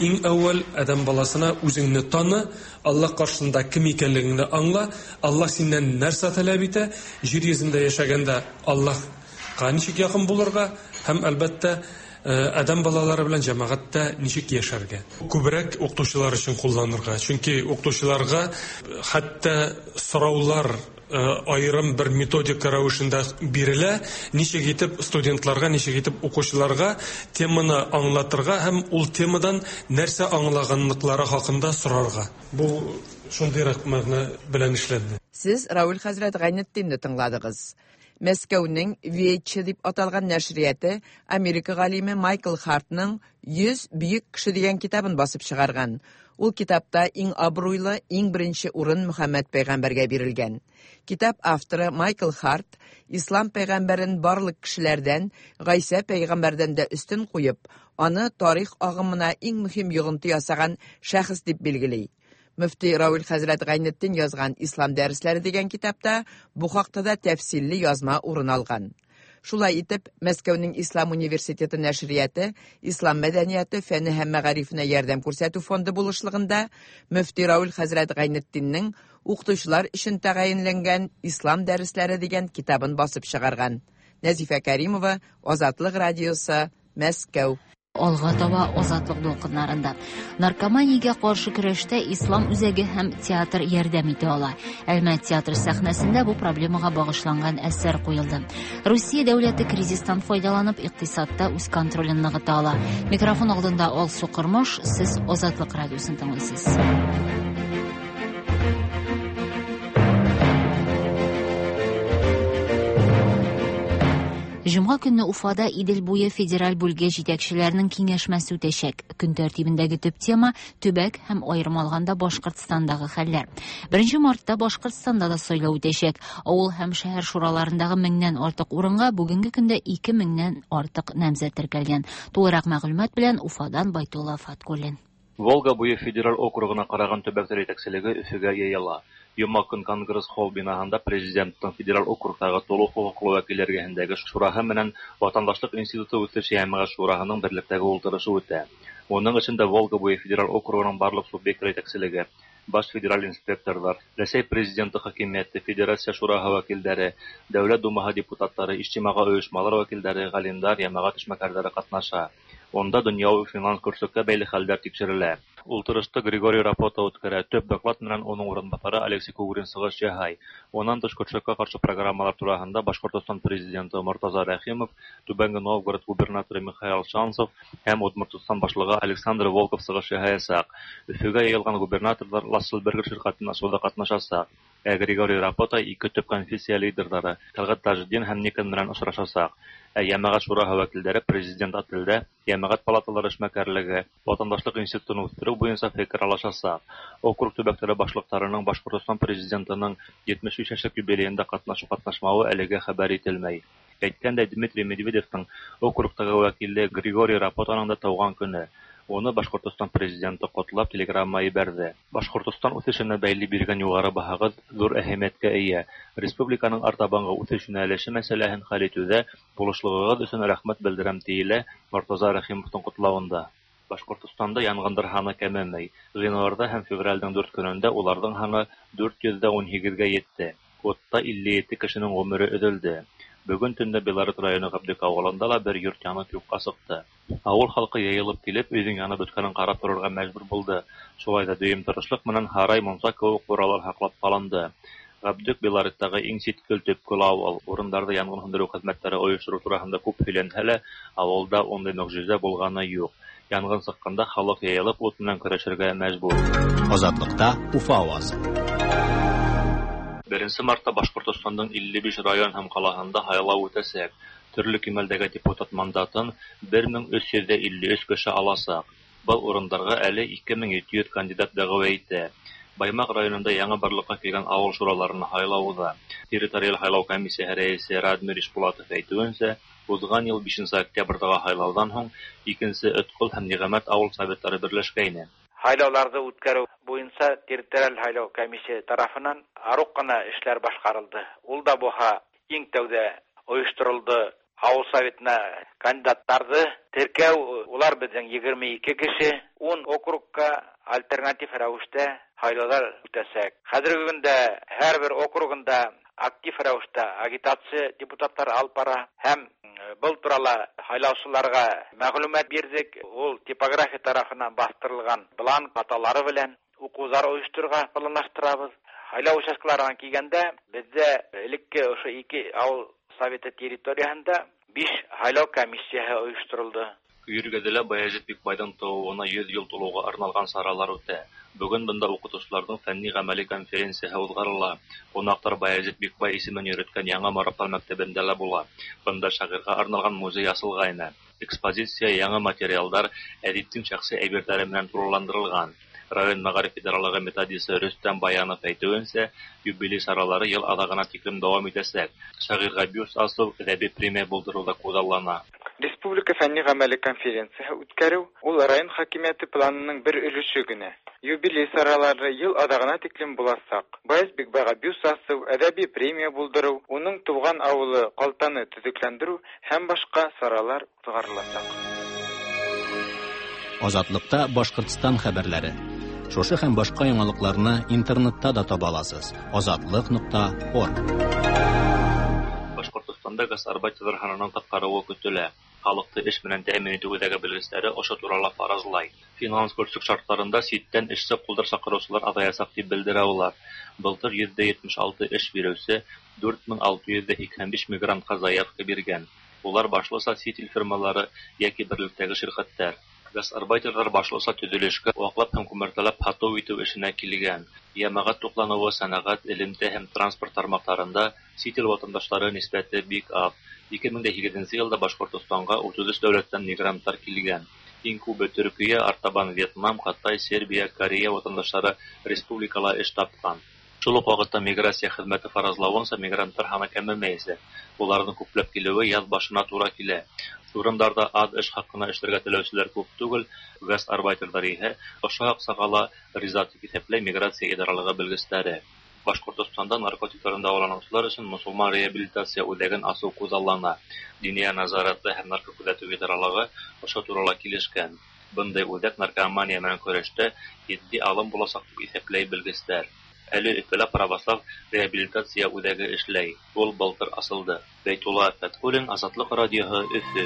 иң әүвәл адәм баласына үзеңне таны, Аллаһ каршында кем икәнлегеңне аңла, Аллаһ синнән нәрсә таләп итә, җир йөзендә яшәгәндә Аллаһка ничек якын булырга һәм әлбәттә адәм балалары белән җәмәгатьтә ничек яшәргә. Күбрәк укытучылар өчен кулланырга, чөнки укытучыларга хәтта сораулар айрым бер методика рәвешендә бирелә, ничек итеп студентларга, ничек итеп укучыларга теманы аңлатырга һәм ул темадан нәрсә аңлаганлыклары хакында сорарга. Бу шундыйрак мәгънә белән эшләнде. Сез Рауль хәзрәт Гайнетдинне тыңладыгыз. Мәскәүнең Вече дип аталган нәшрияты Америка галиме Майкл Хартның йөз бөек кеше дигән китабын басып чыгарган. Ул китапта иң абруйлы, иң беренче урын Мөхәммәд пәйгамбәргә бирелгән. Китап авторы Майкл Харт ислам пәйгамбәрен барлык кешеләрдән, Гайсә пәйгамбәрдән дә өстен куеп, аны тарих агымына иң мөһим йогынты ясаган шәхес дип билгели. Мөфти Рауль хәзрәт Гайнетдин язган Ислам дәресләре дигән китапта бу хакта да тәфсилле язма урын алган. Шулай итеп, Мәскәүнең Ислам университеты нәшрияты Ислам мәдәнияте фәне һәм мәгарифенә ярдәм күрсәтү фонды булышлыгында Мөфти Рауль хәзрәт Гайнетдиннең укытучылар өчен тәгаенләнгән Ислам дәресләре дигән китабын басып чыгарган. Нәзифә Кәримова, Азатлык радиосы, Мәскәү. Алга таба Азатлык дулкыннарында. Наркоманиягә каршы көрәштә Ислам үзәге һәм театр ярдәм итә ала. Әлмәт театр сәхнәсендә бу проблемага багышланган әсәр куелды. Русия дәүләте кризистан файдаланып икътисадта үз контролен ныгыта ала. Микрофон алдында Алсу Кормыш, сез Азатлык радиосын тыңлыйсыз. Җомга көнне Уфада Идел буе федераль бүлге җитәкчеләренең киңәшмәсе үтәчәк. Көн тәртибендәге төп тема төбәк һәм аерым алганда Башкортстандагы хәлләр. Беренче мартта Башкортстанда да сайлау үтәчәк. Авыл һәм шәһәр шураларындагы меңнән артык урынга бүгенге көндә ике меңнән артык намзәт теркәлгән. Тулырак мәгълүмат белән Уфадан Байтулла Фаткуллин. Волга буе федераль округына караган төбәкләр җитәкчелеге Өфөгә йыела. Йома көн Конгресс холл бинаһында президенттың федераль округтагы тулы хокуклы вәкилләр эргәһендәге шураһы менән Ватандашлык институты үсеш йәмәгать шураһының берлектәге ултырышы үтә. Уның эчендә Волга буе федераль округының барлык субъектлары җитәкчелеге, баш федераль инспекторлар, Рәсәй президенты хакимияте, Федерация шураһы вәкилләре, Дәүләт думаһы депутатлары, иҗтимагый оешмалар вәкилләре, галимнәр, йәмәгать эшмәкәрләре катнаша. Унда дөньяви финанс көрсөккә бәйле хәлләр тикшерелә. Ултырышты Григорий Рапота үткәрә. Төп доклад менән уның урынбаҫары Алексей Кугрин сығыш яһай. Унан тыш көрсөккә ҡаршы программалар тураһында Башҡортостан президенты Мортаза Рәхимов, Түбәнге Новгород губернаторы Михаил Шанцев һәм Удмуртстан башлығы Александр Волков сығыш яһаясаҡ. Өфөгә йыйылған губернаторҙар Ласселбергер ширҡәтен асыуҙа ҡатнашасаҡ. Ә Григорий Рапота ике төп конфессия лидерҙары Тәлғәт Тажетдин һәм Никон менән осрашасаҡ. Ә йәмәғәт шураһы вәкилдәре президент ателдә йәмәғәт палаталары эшмәкәрлеге, Ватандашлык институтын үҫтереү буйынса фекер алышасаҡ. Округ төбәктәре башлыҡтарының Башҡортостан президентының етмеш биш йәшлек юбилейында ҡатнашыу-ҡатнашмауы әлегә хәбәр ителмәй. Әйткәндәй, Дмитрий Медведевтың округтағы вәкиле Григорий Рапотаның да тыуған көнө. Уны Башҡортостан президенты ҡотлап телеграмма ебәрҙе. Башҡортостан үҫешенә бәйле биргән юғары баһағыҙ ҙур әһәмиәткә эйә. Республиканың артабанғы үҫеш йүнәлеше мәсьәләһен хәл итеүҙә булышлығығыҙ өсөн рәхмәт белдерәм, тиелә Мортаза Рәхимовтың ҡотлауында. Башҡортостанда янғындар һаны кәмемәй. Ғинуарҙа һәм февралдең дүрт көнөндә уларҙың һаны дүрт йөҙ ҙә ун һигеҙгә етте. Утта илле ете кешенең ғүмере өҙөлдө. Бөгөн төндә Белорет районы Ғәбдек ауылында ла бер йорт янып юҡҡа сыҡты. Ауыл халҡы йыйылып килеп, өйҙөң янып бөткәнен ҡарап торорға мәжбүр булды. Шулай да дөйөм тырышлыҡ менән һарай, мунса кеүек ҡуралар һаҡлап ҡалынды. Ғәбдек Белореттағы иң ситкел төпкөл ауыл. Урындарҙа янғын һүндереү хеҙмәттәре ойоштороу тураһында күп һөйләнһә лә, ауылда ундай мөғжизә булғаны юҡ. Янғын сыҡҡанда халыҡ йыйылып ут менән көрәшергә мәжбүр. Азатлыҡта Уфа ауазы. Беренсе мартта Башҡортостандың илле биш район һәм ҡалаһында һайлау үтәсәк. Төрлө кимәлдәге депутат мандатын бер мең өс йөҙ илле өс кеше аласаҡ. Был урындарға әле ике мең ете йөҙ кандидат дәғүә итә. Баймаҡ районында яңы барлыҡҡа килгән ауыл шураларына һайлау уҙа. Территориаль һайлау комиссияһы рәйесе Радмир Ишбулатов әйтеүенсә, уҙған йыл бишенсе октябрҙағы һайлауҙан һуң икенсе Өткөл һәм Ниғәмәт ауыл советтары берләшкәйне. Һайлауҙарҙы үткәреү буйынса территориаль һайлау комиссияһы тарафынан арыҡ ҡына эштәр башҡарылды. Ул да булһа иң тәүҙә ойошторолдо ауыл советына кандидаттарҙы теркәү, улар беҙҙең егерме ике кеше, ун округка альтернатив рәүештә һайлауҙар үтәсәк. Хәҙерге көндә һәр бер округында актив рәүештә агитация депутаттар алып бара һәм был турала һайлаусыларға мәғлүмәт бирҙек. Ул типография тарафынан баҫтырылған бланк хаталары белән уҡыуҙар ойошторорға планлаштырабыҙ. Һайлау участкаларына килгәндә, беҙҙә элекке ошо ике ауыл советы территорияһында биш һайлау комиссияһы ойошторолдо. Көйөргәҙә Баязит Бикбайҙың тыуыуына йөҙ йыл тулыуға арналған саралар үтә. Бөгөн бында уҡытыусыларҙың фәнни-ғәмәли конференцияһы уҙғарыла. Ҡунаҡтар Баязит Бикбай исемен йөрөткән Яңы Мораптар мәктәбендә лә була. Бында шағирға арналған музей асылғайны. Экспозиция яңы материалдар, әҙиптең шәхси әйберҙәре менән тулыландырылған. Район мәғариф идаралығы методисы Рөстәм Баянов әйтеүенсә, юбилей саралары йыл аҙағына тиклем дауам итәсәк. Шағирға бюст асыу, әҙәби премия булдырыу ҙа күҙаллана. Республика фәнни-ғәмәли конференцияһы үткәреү ул район хакимиәте планының бер өлөшө генә. Юбилей саралары йыл аҙағына тиклем буласаҡ. Баяз Бикбайға бюст асыу, әҙәби премия булдырыу, уның тыуған ауылы Ҡалтаны төҙөкләндереү һәм башҡа саралар уҙғарыласаҡ. Азатлыҡта Башҡортостан хәбәрләре. Шушы һәм башҡа яңалыҡларны интернетта да таба аласыз. азатлыҡ нуҡта орг. Башҡортостанда гастарбайтерҙар һанының ҡыҫҡарыуы көтөлә. Халыҡты эш менән тәьмин итеү үҙәге белгестәре ошо турала фаразлай. Финанс көрсөк шарттарында ситтән эшсе ҡулдар саҡырыусылар аҙаясаҡ тип белдерә улар. Былтыр йөҙҙә етмеш алты эш биреүсе дүрт мең алты йөҙ һикһән биш мигрантҡа заявка биргән. Улар башлыса сит ил фирмалары йәки берлектәге ширҡәттәр. Гастарбайтерҙар башлыса төҙөлөшкә, ваҡлап һәм күмәртәләп һатыу итеү эшенә килгән. Йәмәғәт туҡланыуы, сәнәғәт, элемтә һәм транспорт тармаҡтарында сит ил ватандаштары нисбәте бик аҙ. Ике мең дә һигеҙенсе йылда Башҡортостанға утыҙ өс дәүләттән мигранттар килгән. Иң күбе Төркиә, артабан Вьетнам, Ҡытай, Сербия, Корея ватандаштары республикала эш тапҡан. Шул уҡ ваҡытта миграция хеҙмәте фаразлауынса, мигранттар һаны кәмемәйәсәк. Уларҙың күпләп килеүе яҙ башына тура килә. Урындарҙа аҙ эш хаҡына эшләргә теләүселәр күп түгел, гастарбайтерҙар иһә ошо аҡсаға ла риза тип иҫәпләй миграция идаралығы белгестәре. Башҡортостанда наркотиктарҙан дауаланыусылар өсөн мосолман реабилитация үҙәген асыу күҙаллана. Диниә назараты һәм наркокүҙәтеү идаралығы ошо турала килешкән. Бындай үҙәк наркомания менән көрәштә етди алым буласаҡ тип иҫәпләй белгестәр. Әле Өфөлә православ реабилитация үҙәге эшләй. Ул былтыр асылды. Бәйтулла Фәтхуллин, Азатлыҡ радиоһы, Өфө.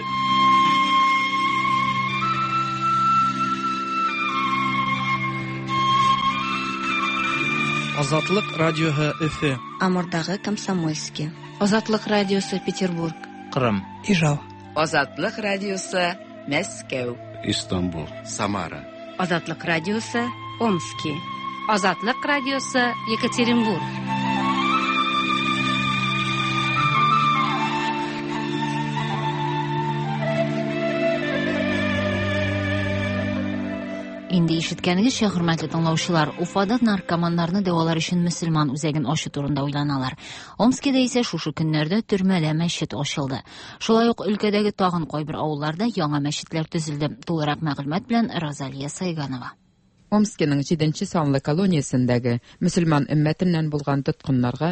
Азатлыҡ радиоһы, Өфө. Амурдағы Комсомольский. Азатлыҡ радиосы, Петербург. Ҡырым. Ижау. Азатлыҡ радиосы, Мәскәү. Истанбул. Самара. Азатлыҡ радиосы, Омский. Азатлыҡ радиосы, Екатеринбург. Инде ишеткәнегеҙсә, хөрмәтле тыңлаучылар, Уфада наркоманнарны дауалар өсөн мөселман үзәген асыу турында уйланалар. Омскиҙа исә шушы көннәрҙә төрмәлә мәсжид асылды. Шулай уҡ өлкәдәге тағын ҡайбер ауылларҙа яңа мәсжидләр төзөлдө. Тулыраҡ мәғлүмәт белән Розалия Сайганова. Омскиның җиденче санлы колониясендәге мөселман өммәтеннән булган тоткыннарга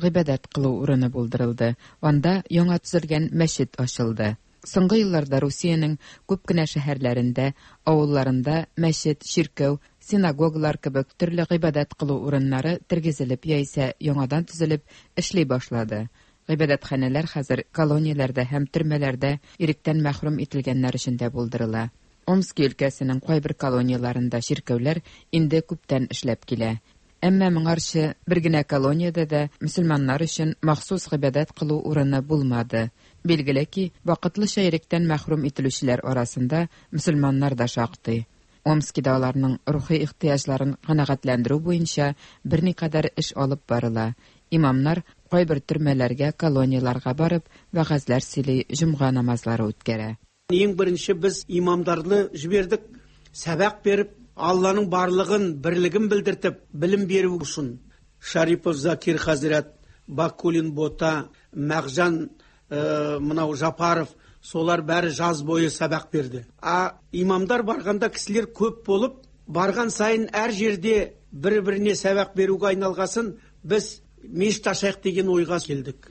гыйбадәт кылу урыны булдырылды. Анда яңа төзелгән мәчет ачылды. Соңгы елларда Русиянең күп кенә шәһәрләрендә, авылларында мәчет, чиркәү, синагогалар кебек төрле гыйбадәт кылу урыннары тергезелеп яисә яңадан төзелеп эшли башлады. Гыйбадәтханәләр хәзер колонияләрдә һәм төрмәләрдә иректән мәхрүм ителгәннәр өчен дә булдырыла. Омски өлкәсенең кайбер колонияларында чиркәүләр инде күптән эшләп килә. Әмма моңарчы бер генә колониядә дә мөселманнар өчен махсус гыйбадәт кылу урыны булмады. Билгеле ки, вакытлыча иректән мәхрүм ителүчеләр арасында мөселманнар да шактый. Омскида аларның рухи ихтыяҗларын канәгатьләндерү буенча берникадәр эш алып барыла. Имамнар кайбер төрмәләргә, колонияларга барып, вәгазьләр сөйли, җомга намазлары үткәрә. Ең бірінші біз имамдарды жібердік, сабақ беріп, Алланың барлығын, бірлігін білдіртіп, білім беру үшін. Шарипов Закир Хазрат, Бакулин Бота, Мағжан ә, мынау Жапаров, солар бәрі жаз бойы сабақ берді. А имамдар барғанда кісілер көп болып, барған сайын әр жерде бір-біріне сабақ беруге айналғасын, біз мешіт ашайық деген ойға келдік.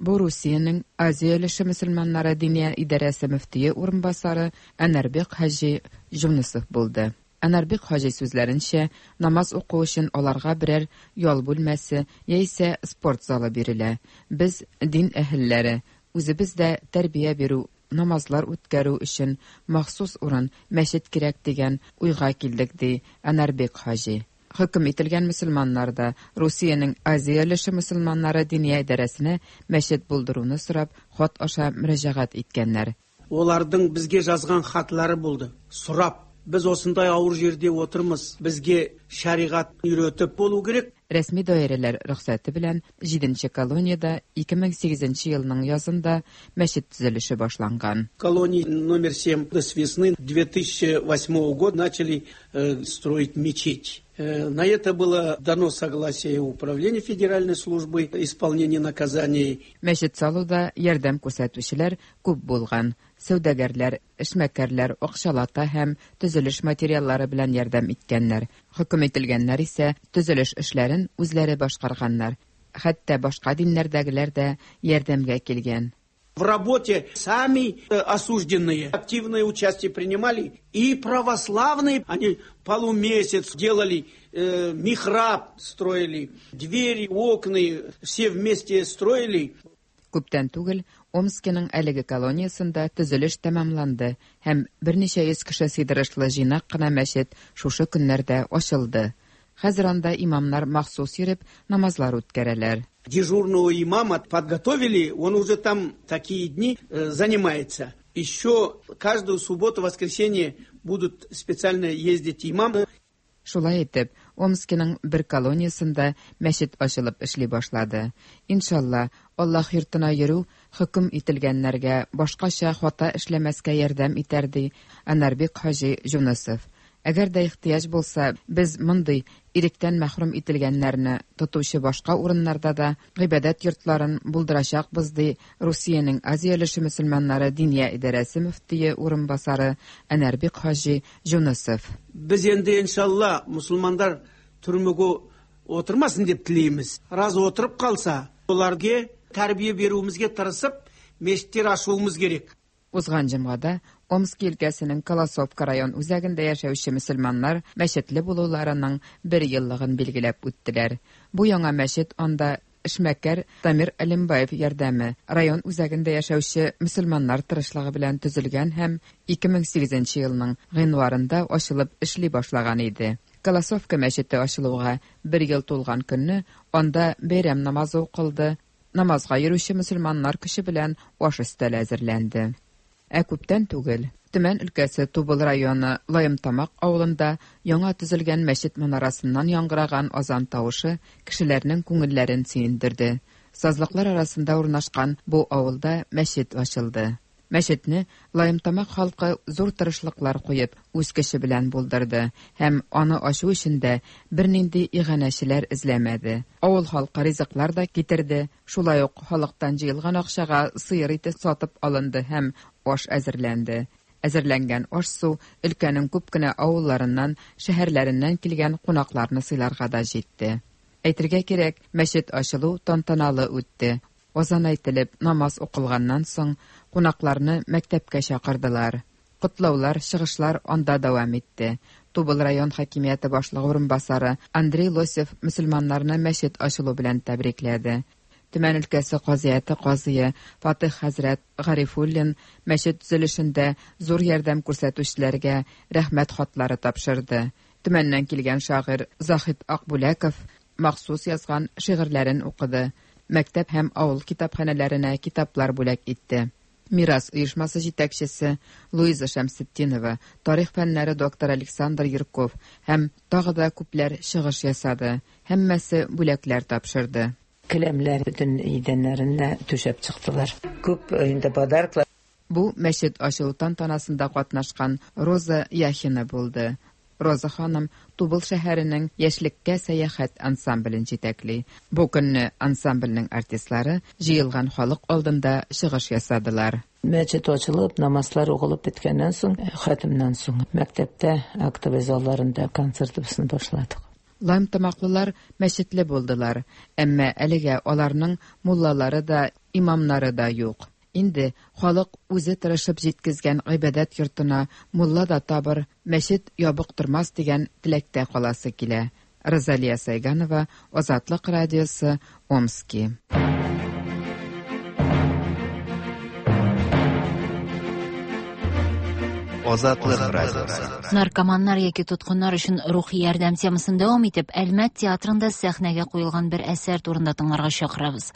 Бу Русиянең Азия өлеше мөселманнары диния идарәсе мөфтие урынбасары Әнәрбек хаҗи Юнусов булды. Әнәрбек хаҗи сүзләренчә, намаз уку өчен аларга берәр ял бүлмәсе яисә спорт залы бирелә. Без дин әһелләре, үзебез дә тәрбия бирү, намазлар үткәрү өчен махсус урын, мәчет кирәк дигән уйга килдек, ди Әнәрбек хаҗи. Хөкем ителгән мөселманнар да Русиянең Азия өлеше мөселманнары диния идарәсенә мәчет булдыруны сорап хат аша мөрәҗәгать иткәннәр. Олардың бізге жазған хатлары булды. Сорап, біз осындай ауыр жерде отырмыз, бізге шариғат үйретіп болу керек. Рәсми даирәләр рөхсәте белән җиденче колониядә ике мең сигезенче елның язында мәчет төзелеше башланган. Колония номер семь с весны две тысячи восьмого года начали э, строить мечеть. На это было дано согласие Управления Федеральной службы исполнения наказаний. Мәчет салуда ярдәм күрсәтүчеләр күп булган. Сәүдәгәрләр, эшмәкәрләр акчалата һәм төзелеш материаллары белән ярдәм иткәннәр. Хөкем ителгәннәр исә төзелеш эшләрен үзләре башкарганнар. Хәтта башка диннәрдәгеләр дә ярдәмгә килгән. В работе сами осужденные активное участие принимали, и православные, они полумесяц делали, э, михраб строили, двери, окна, все вместе строили. Күптән түгел Омскиның әлеге колониясендә төзелеш тәмамланды һәм берничә йөз кеше сыйдырышлы җыйнак кына мәчет шушы көннәрдә ачылды. Хәзер анда имамнар махсус йөреп намазлар үткәрәләр. Дежурного имама подготовили, он уже там такие дни занимается. Еще каждую субботу, воскресенье будут специально ездить имамы. Шулай итеп, Омскиның бер колониясендә мәчет ачылып эшли башлады. Иншалла, Аллаһ йортына йөрү хөкем ителгәннәргә башкача хата эшләмәскә ярдәм итәр, ди Анарбек хаҗи Юнысов. Әгәр дә ихтыяҗ булса, без мондый иректән мәхрүм ителгәннәрне тотучы башка урыннарда да гыйбадәт йортларын булдырачакбыз, ди Русиянең Азия өлеше мөселманнары Диния идарәсе мөфтие урынбасары Анарбек хаҗи Юнысов. Без инде иншалла мусулмандар түрмөгө отырмасын деп тілейміз. Раз отырып қалса, оларға тәрбие беруімізге тырысып, мешіттер ашуымыз керек. Узган җомгада Омски өлкәсенең Колосовка район үзәгендә яшәүче мөселманнар мәчетле булуларының бер еллыгын билгеләп үттеләр. Бу яңа мәчет анда эшмәкәр Тамир Алимбаев ярдәме, район үзәгендә яшәүче мөселманнар тырышлыгы белән төзелгән һәм ике мең сигезенче елның гыйнварында ачылып эшли башлаган иде. Колосовка мәчете ачылуга бер ел тулган көнне анда бәйрәм намазы укылды. Намазга йөрүче мөселманнар көче белән аш өстәле әзерләнде. Ә күптән түгел Төмән өлкәсе Тубыл районы Лаемтамак авылында яңа төзелгән мәчет манарасыннан яңгыраган азан тавышы кешеләрнең күңелләрен сөендерде. Сазлыклар арасында урнашкан бу авылда мәчет ачылды. Мәчетне Лаемтамак халкы зур тырышлыклар куеп, үз көче белән булдырды һәм аны ачу өчен дә бернинди иганәчеләр эзләмәде. Авыл халкы ризыклар да китерде, шулай ук халыктан җыелган акчага сыер ите сатып алынды һәм аш әзерләнде. Әзерләнгән аш-су өлкәнең күп кенә авылларыннан, шәһәрләреннән килгән кунакларны сыйларга да җитте. Әйтергә кирәк, мәчет ачылу тантаналы үтте. Азан әйтелеп, намаз укылганнан соң кунакларны мәктәпкә чакырдылар. Котлаулар, чыгышлар анда дәвам итте. Тубыл район хакимияте башлыгы урынбасары Андрей Лосев мөселманнарны мәчет ачылу белән тәбрикләде. Төмән өлкәсе казыяты казые Фатих хәзрәт Гарифуллин мәчет төзелешендә зур ярдәм күрсәтүчеләргә рәхмәт хатлары тапшырды. Төмәннән килгән шагыйрь Захид Акбүләков махсус язган шигырьләрен укыды. Мәктәп һәм авыл китапханәләренә китаплар бүләк итте. Мирас оешмасы җитәкчесе Луиза Шәмсетдинова, тарих фәннәре докторы Александр Юрков һәм тагы да күпләр чыгыш ясады. Һәммәсе бүләкләр тапшырды. Келәмләр бөтен идәннәренә түшәп чыктылар. Күп инде подарклар. Бу мәчет ачылу тантанасында катнашкан Роза Яхина булды. Роза ханым Тубыл шәһәренең Яшьлеккә сәяхәт ансамблен җитәкли. Бу көнне ансамбльнең артистлары җыелган халык алдында чыгыш ясадылар. Мәчет ачылып, намазлар укылып беткәннән соң, хатимнән соң мәктәптә актовый залларында концертыбызны башладык. Лаемтамаклылар мәчетле булдылар, әмма әлегә аларның муллалары да, имамнары да юк. Инде халык үзе тырышып җиткезгән гыйбадәт йортына мулла да табыр, мәчет ябык тормас дигән теләктә каласы килә. Розалия Сайганова, Азатлык радиосы, Омски. Азатлык радиосы. Наркоманнар яки тоткыннар өчен рухи ярдәм темасын дәвам итеп, Әлмәт театрында сәхнәгә куелган бер әсәр турында тыңларга чакырабыз.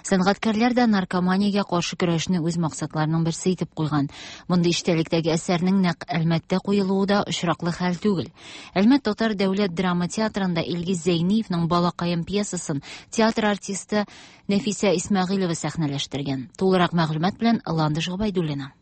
Сәнгатькәрләр дә наркоманиягә каршы көрәшне үз максатларының берсе итеп куйган. Мондый эчтәлектәге әсәрнең нәкъ Әлмәттә куелуы да очраклы хәл түгел. Әлмәт татар дәүләт драма театрында Илгиз Зәйниевның Балакаем пьесасын театр артисты Нәфисә Исмәгыйлева сәхнәләштергән. Тулырак мәгълүмат белән Ландыш Гобәйдуллина.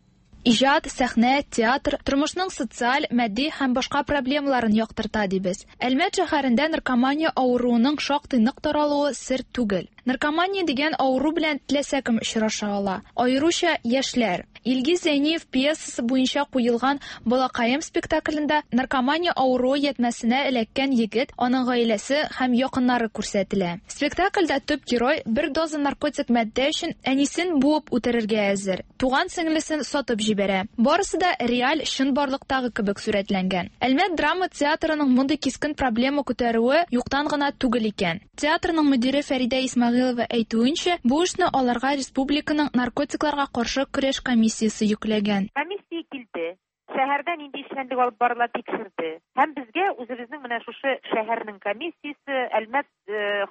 Иҗат, сәхнә, театр тормышның социаль, матди һәм башка проблемаларын яктырта дибез. Әлмәт шәһәрендә наркомания авыруының шактый нык таралуы сер түгел. Наркомания дигән авыру белән теләсә кем очраша ала, аеруча яшьләр. Илгиз Зәйниев пьесасы буенча куелган «Балакаем» спектаклендә наркомания авыруы ятмәсенә эләккән егет, аның гаиләсе һәм якыннары күрсәтелә. Спектакльдә төп герой бер доза наркотик матдә өчен әнисен буып үтерергә әзер. Туган сеңлесен сатып җибәрә. Барысы да реаль чынбарлыктагы кебек сурәтләнгән. Әлмәт драма театрының мондый кискен проблема күтәрүе юктан гына түгел икән. Театрның мөдире Фәридә Исмәгыйлова әйтүенчә, бу эшне аларга республиканың наркотикларга каршы көрәш комиссиясе йөкләгән. Комиссия килде. Шәһәрдә нинди эшчәнлек алып барыла тикшерде. Һәм безгә үзебезнең менә шушы шәһәрнең комиссиясе, Әлмәт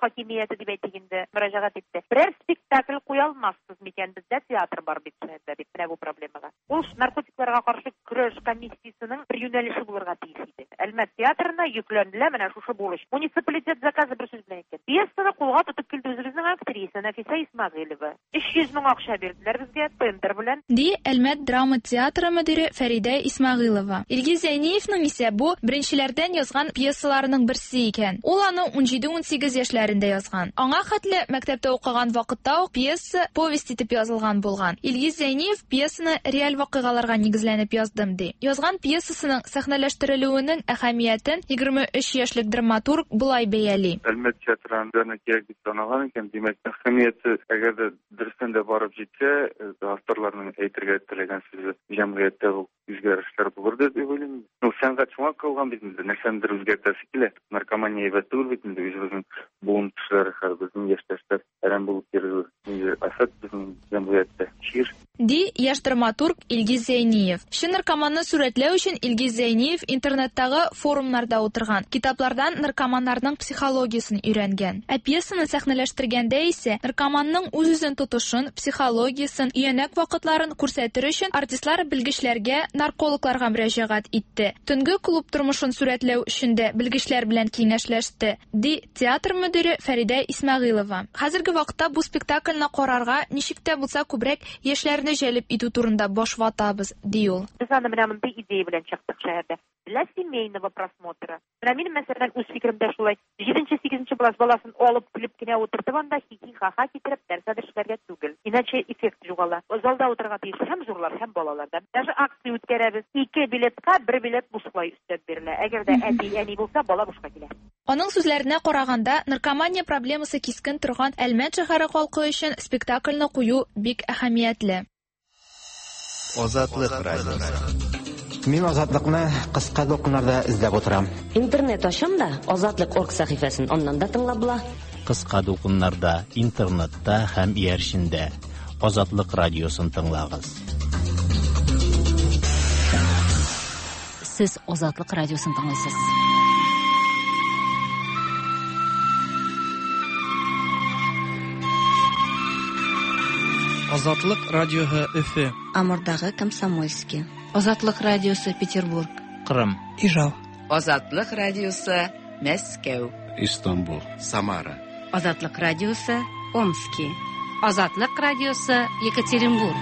хакимияте дип әйтик инде, мөрәҗәгать итте. Берәр спектакль куя алмассыз микән, бездә театр бар бит шәһәрдә дип, менә бу проблемага. Ул наркотикларга каршы көрәш комиссиясенең бер юнәлеше булырга тиеш иде. Әлмәт театрына йөкләнелә менә шушы бурыч. Муниципалитет заказы бер сүз белән әйткән. Пьесаны кулга тотып килде үзебезнең актриса Нәфисә Исмәгыйлова. Өч йөз мең акча бирделәр безгә тендер белән. Ди Әлмәт драма театры мөдире Фәридә Исмәгыйлова. Илгиз Зәйниевның исә бу беренчеләрдән язган пьесаларының берсе икән. Ул аны ун җиде-ун сигез яшьләрендә язган. Аңа хәтле мәктәптә укыган вакытта ук пьеса повесть итеп язылган булган. Илгиз Зәйниев пьесаны реаль вакыйгаларга нигезләнеп яздым ди. Язган пьесасының сәхнәләштерелүенең әһәмиятен егерме өч яшьлек драматург болай бәяли. Әлмәт театрында кирәк дип саналган икән, димәк, әһәмияте әгәр дә дөрестән дә барып җитсә, авторларның әйтергә теләгән сүзе җәмгыятьтә бу үзгәрешләр булыр дип уйлыйм. Ну, сәнгать шуңа калган бит инде, нәрсәндер үзгәртәсе килә. Наркомания әйбәт түгел бит инде, үзебезнең буын кешеләре, хәзер безнең яшьтәшләр әрәм булып йөрү, афәт безнең җәмгыятьтә, чир. Ди яшь драматург Илгиз Зәйниев. Чын наркоманны сурәтләү өчен Илгиз Зәйниев интернеттагы форумнарда утырган, китаплардан наркоманнарның психологиясен өйрәнгән. Ә пьесаны сәхнәләштергәндә исә наркоманның үз-үзен тотышын, психологиясен, өянәк вакытларын күрсәтер өчен артистлар белгечләргә, наркологларга мөрәҗәгать итте. Төнге клуб тормышын сурәтләү өчен дә белгечләр белән киңәшләште, ди театр мөдире Фәридә Исмәгыйлова. Хәзерге вакытта бу спектакльне карарга ничек тә булса күбрәк яшьләрне җәлеп итү турында баш ватабыз, ди ул. Без аны менә мондый идея белән чыктык шәһәрдә. Для семейного просмотра. Менә минем мәсәлән үз фикеремдә шулай. Җиденче-сигезенче класс баласын алып килеп кенә утыртып анда хихи-ха-ха китереп нәрсәдер эшләргә түгел. Иначе эффект югала. Залда утырырга тиеш һәм зурлар, һәм балалар да. Даже акция үткәрәбез. Ике билетка бер билет бушлай өстәп бирелә. Әгәр дә әти-әни булса, бала бушка килә. Аның сүзләренә караганда, наркомания проблемасы кискен торган Әлмәт шәһәре халкы өчен спектакльне кую бик әһәмиятле. Азатлык радиосы. Мин Азатлыкны кыска дулкыннарда эзләп утырам. Интернет ачам да Азатлык орг сәхифәсен аннан да тыңлап була. Кыска дулкыннарда, интернетта һәм иярчендә Азатлык радиосын тыңлагыз. Сез Азатлык радиосын тыңлыйсыз. Азатлык радиосы Өфе. Амурдагы Комсомольский. Азатлык радиосы Петербург. Кырым. Ижау. Азатлык радиосы Мәскәү. Истанбул. Самара. Азатлык радиосы Омски. Азатлык радиосы Екатеринбург.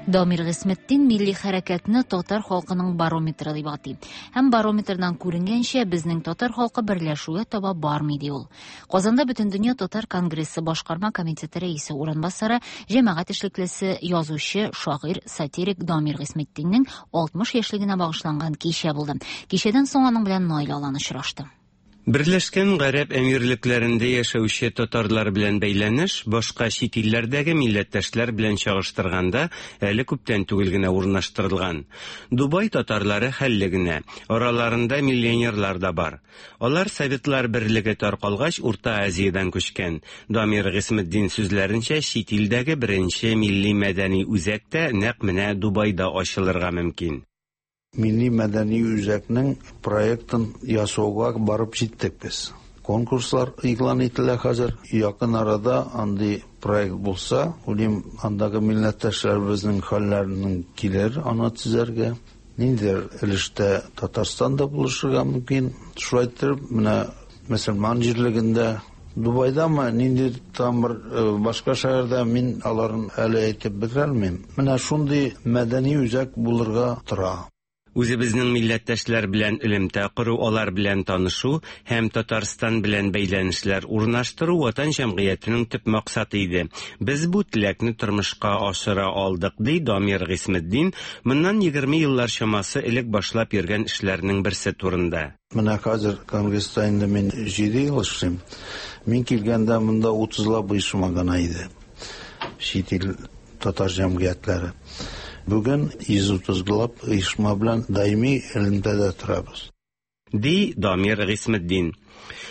Дамир Гыйсметдин милли хәрәкәтне татар халкының барометры дип атый. Һәм барометрдан күренгәнчә, безнең татар халкы берләшүгә таба бармый, ди ул. Казанда Бөтендөнья татар конгрессы башкарма комитеты рәисе урынбасары, җәмәгать эшлеклесе, язучы, шагыйрь, сатирик Дамир Гыйсметдиннең алтмыш яшьлегенә багышланган кичә булды. Кичәдән соң аның белән Наил Алан очрашты. Берләшкән Гарәп Әмирлекләрендә яшәүче татарлар белән бәйләнеш башка чит илләрдәге милләттәшләр белән чагыштырганда әле күптән түгел генә урнаштырылган. Дубай татарлары хәлле генә, араларында миллионерлар да бар. Алар Советлар Берлеге таркалгач Урта Азиядән күчкән. Дамир Гыйсметдин сүзләренчә, чит илдәге беренче милли мәдәни үзәк тә нәкъ менә Дубайда ачылырга мөмкин. Милли мәдәни үзәкнең проектын ясауга барып җиттек без. Конкурслар игълан ителә хәзер. Якын арада андый проект булса, уйлыйм, андагы милләттәшләребезнең хәлләренең килер аны төзәргә. Ниндидер өлештә Татарстан да булышырга мөмкин. Шулай итеп, менә мөселман җирлегендә, Дубайдамы, нинди там бер башка шәһәрдә, мин аларын әле әйтеп бетерә алмыйм. Менә шундый мәдәни үзәк булырга тора. Үзебезнең милләттәшләр белән элемтә кору, алар белән танышу һәм Татарстан белән бәйләнешләр урнаштыру Ватан җәмгыятенең төп максаты иде. Без бу теләкне тормышка ашыра алдык, ди Дамир Гыйсметдин, моннан егерме еллар чамасы элек башлап йөргән эшләрнең берсе турында. Менә хәзер конгресста инде мин җиде ел эшлим. Мин килгәндә монда утызлап оешма гына иде. Чит ил татар җәмгыятьләре. Бүген йөз утызлап оешма белән даими элемтәдә торабыз. Ди Дамир Гыйсметдин.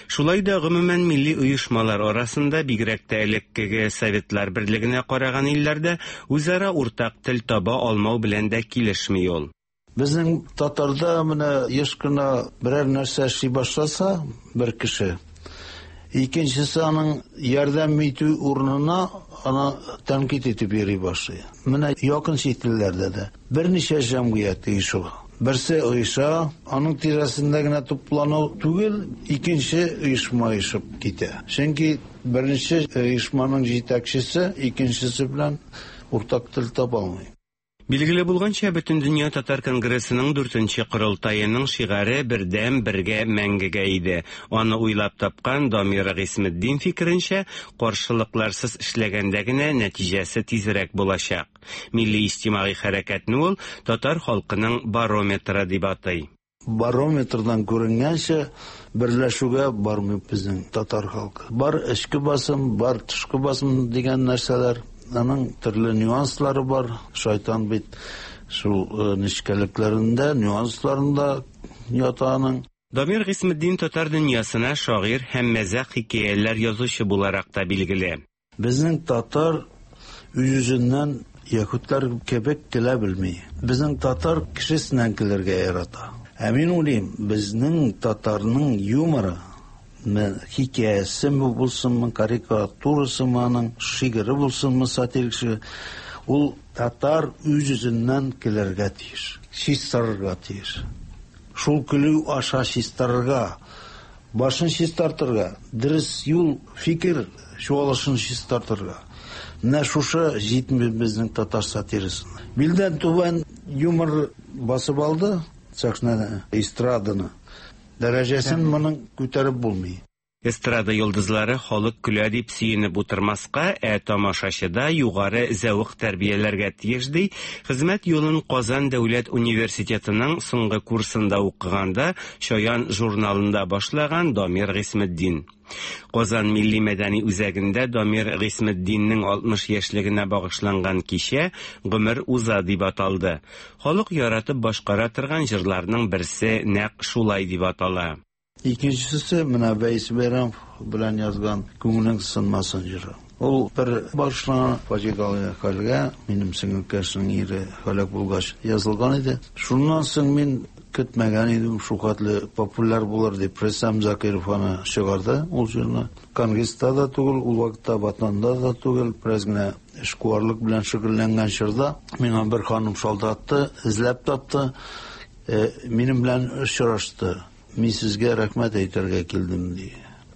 Шулай да гомумән милли оешмалар арасында, бигрәк тә элеккеге Советлар берлегенә караган илләрдә үзара уртак тел таба алмау белән дә килешми ул. Безнең татарда менә еш кенә берәр нәрсә эшли башласа бер кеше, икенчесе аның ярдәм итү урынына аны тәнкыйть итеп йөри башлый. Менә якын чит илләрдә дә берничә җәмгыять оешу. Берсе оеша, аның тирәсендә генә туплану түгел, икенче оешма оешып китә. Чөнки беренче оешманың җитәкчесе икенчесе белән уртак тел таба алмый. Билгеле булганча, Бөтендөнья татар конгрессының дүртенче корылтаеның шигаре бердәм, бергә, мәңгегә иде. Аны уйлап тапкан Дамир Гыйсметдин фикеренчә, каршылыкларсыз эшләгәндә генә нәтиҗәсе тизрәк булачак. Милли иҗтимагый хәрәкәтне ул татар халкының барометры дип атый. Барометрдан күренгәнчә, берләшүгә бармый безнең татар халкы. Бар эчке басым, бар тышкы басым дигән нәрсәләр. Аның төрле нюанслары бар. Шайтан бит шул нечкәлекләрендә, нюансларында ята аның. Дамир Гыйсметдин татар дөньясына шагыйрь һәм мәзәк хикәяләр язучы буларак та билгеле. Безнең татар үз-үзеннән яһүдләр кебек көлә белми. Безнең татар кешесеннән көләргә ярата. Ә мин уйлыйм, безнең татарның юморы, хикәясеме булсынмы, карикатурасымы аның, шигыре булсынмы, сатирик шигыре, ул татар үз-үзеннән көләргә тиеш, чистарырга тиеш. Шул көлү аша чистарырга, башын чистартырга, дөрес юл, фикер чуалышын чистартырга. Менә шушы җитми безнең татар сатирасына. Билдән түбән юмор басып алды сәхнәне, эстраданы. Дәрәҗәсен моның күтәреп булмый. Эстрада йолдызлары халык көлә дип сөенеп утырмаска, ә тамашачыда югары зәвык тәрбияләргә тиеш, ди. Хезмәт юлын Казан дәүләт университетының соңгы курсында укыганда Чаян журналында башлаган Дамир Гыйсметдин. Казан милли мәдәни үзәгендә Дамир Гыйсметдиннең алтмыш яшьлегенә багышланган кичә Гомер уза дип аталды. Халык яратып башкара торган җырларның берсе нәкъ шулай дип атала. Икенчесе менә Вәйс Бәйрәмов белән язган Күңелең сынмасын җыры. Ул бер башлана фаҗигале хәлгә, минем сеңелкәшнең ире һәлак булгач язылган иде. Шуннан соң мин көтмәгән идем, шул хәтле популяр булыр дип. Рөстәм Закиров аны чыгарды ул җырны. Конгресста да түгел, ул вакытта Ватанда да түгел, бераз генә эшкуарлык белән шөгыльләнгән чорда миңа бер ханым шалтыратты, эзләп тапты, минем белән очрашты. Мин сезгә рәхмәт әйтергә килдем, ди.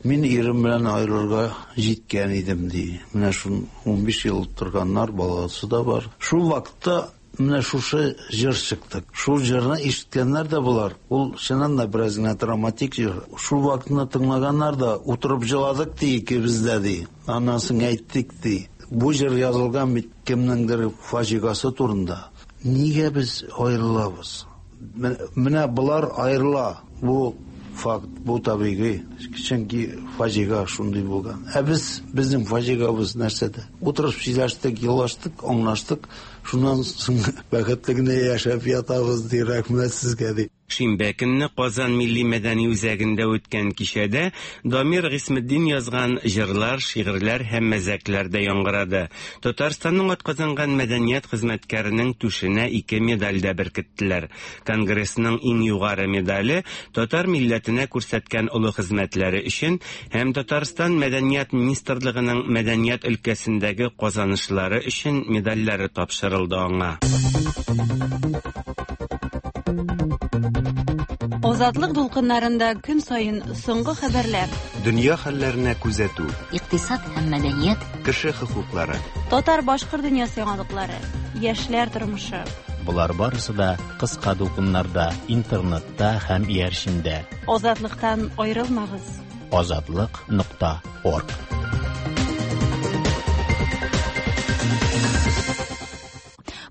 Мин ирем белән аерылырга җиткән идем, ди. Менә шул унбиш ел торганнар, баласы да бар. Шул вакытта менә шушы җыр чыкты. Шул җырны ишеткәннәр дә булар. Ул чыннан да бераз генә драматик җыр. Шул вакытны тыңлаганнар да утырып җыладык, ди, икебез дә, ди. Аннан соң әйттек, ди. Бу җыр язылган бит кемнеңдер фаҗигасы турында. Нигә без аерылабыз? Менә болар аерыла. Бу факт, бу табигый. Чөнки фаҗига шундый булган. Ә без, безнең фаҗигабыз нәрсәдә? Утырып сөйләштек, елаштык, аңлаштык. Шуннан соң бәхетле генә яшәп ятабыз, ди, рәхмәт сезгә, ди. Шимбә көнне Казан милли мәдәни үзәгендә үткән кичәдә Дамир Гыйсметдин язган җырлар, шигырьләр һәм мәзәкләр дә яңгырады. Татарстанның атказанган мәдәният хезмәткәренең түшенә ике медаль дә беркеттеләр. Конгрессның иң югары медале татар милләтенә күрсәткән олы хезмәтләре өчен һәм Татарстан мәдәният министрлыгының мәдәният өлкәсендәге казанышлары өчен медальләре тапшырылды аңа. Азатлык дулкыннарында көн саен соңгы хәбәрләр, дөнья хәлләренә күзәтү, икътисад һәм мәдәният, кеше хокуклары, татар-башкорт дөньясы яңалыклары, яшьләр тормышы. Болар барысы да кыска дулкыннарда, интернетта һәм иярчендә. Азатлыктан аерылмагыз. Азатлык нокта орг.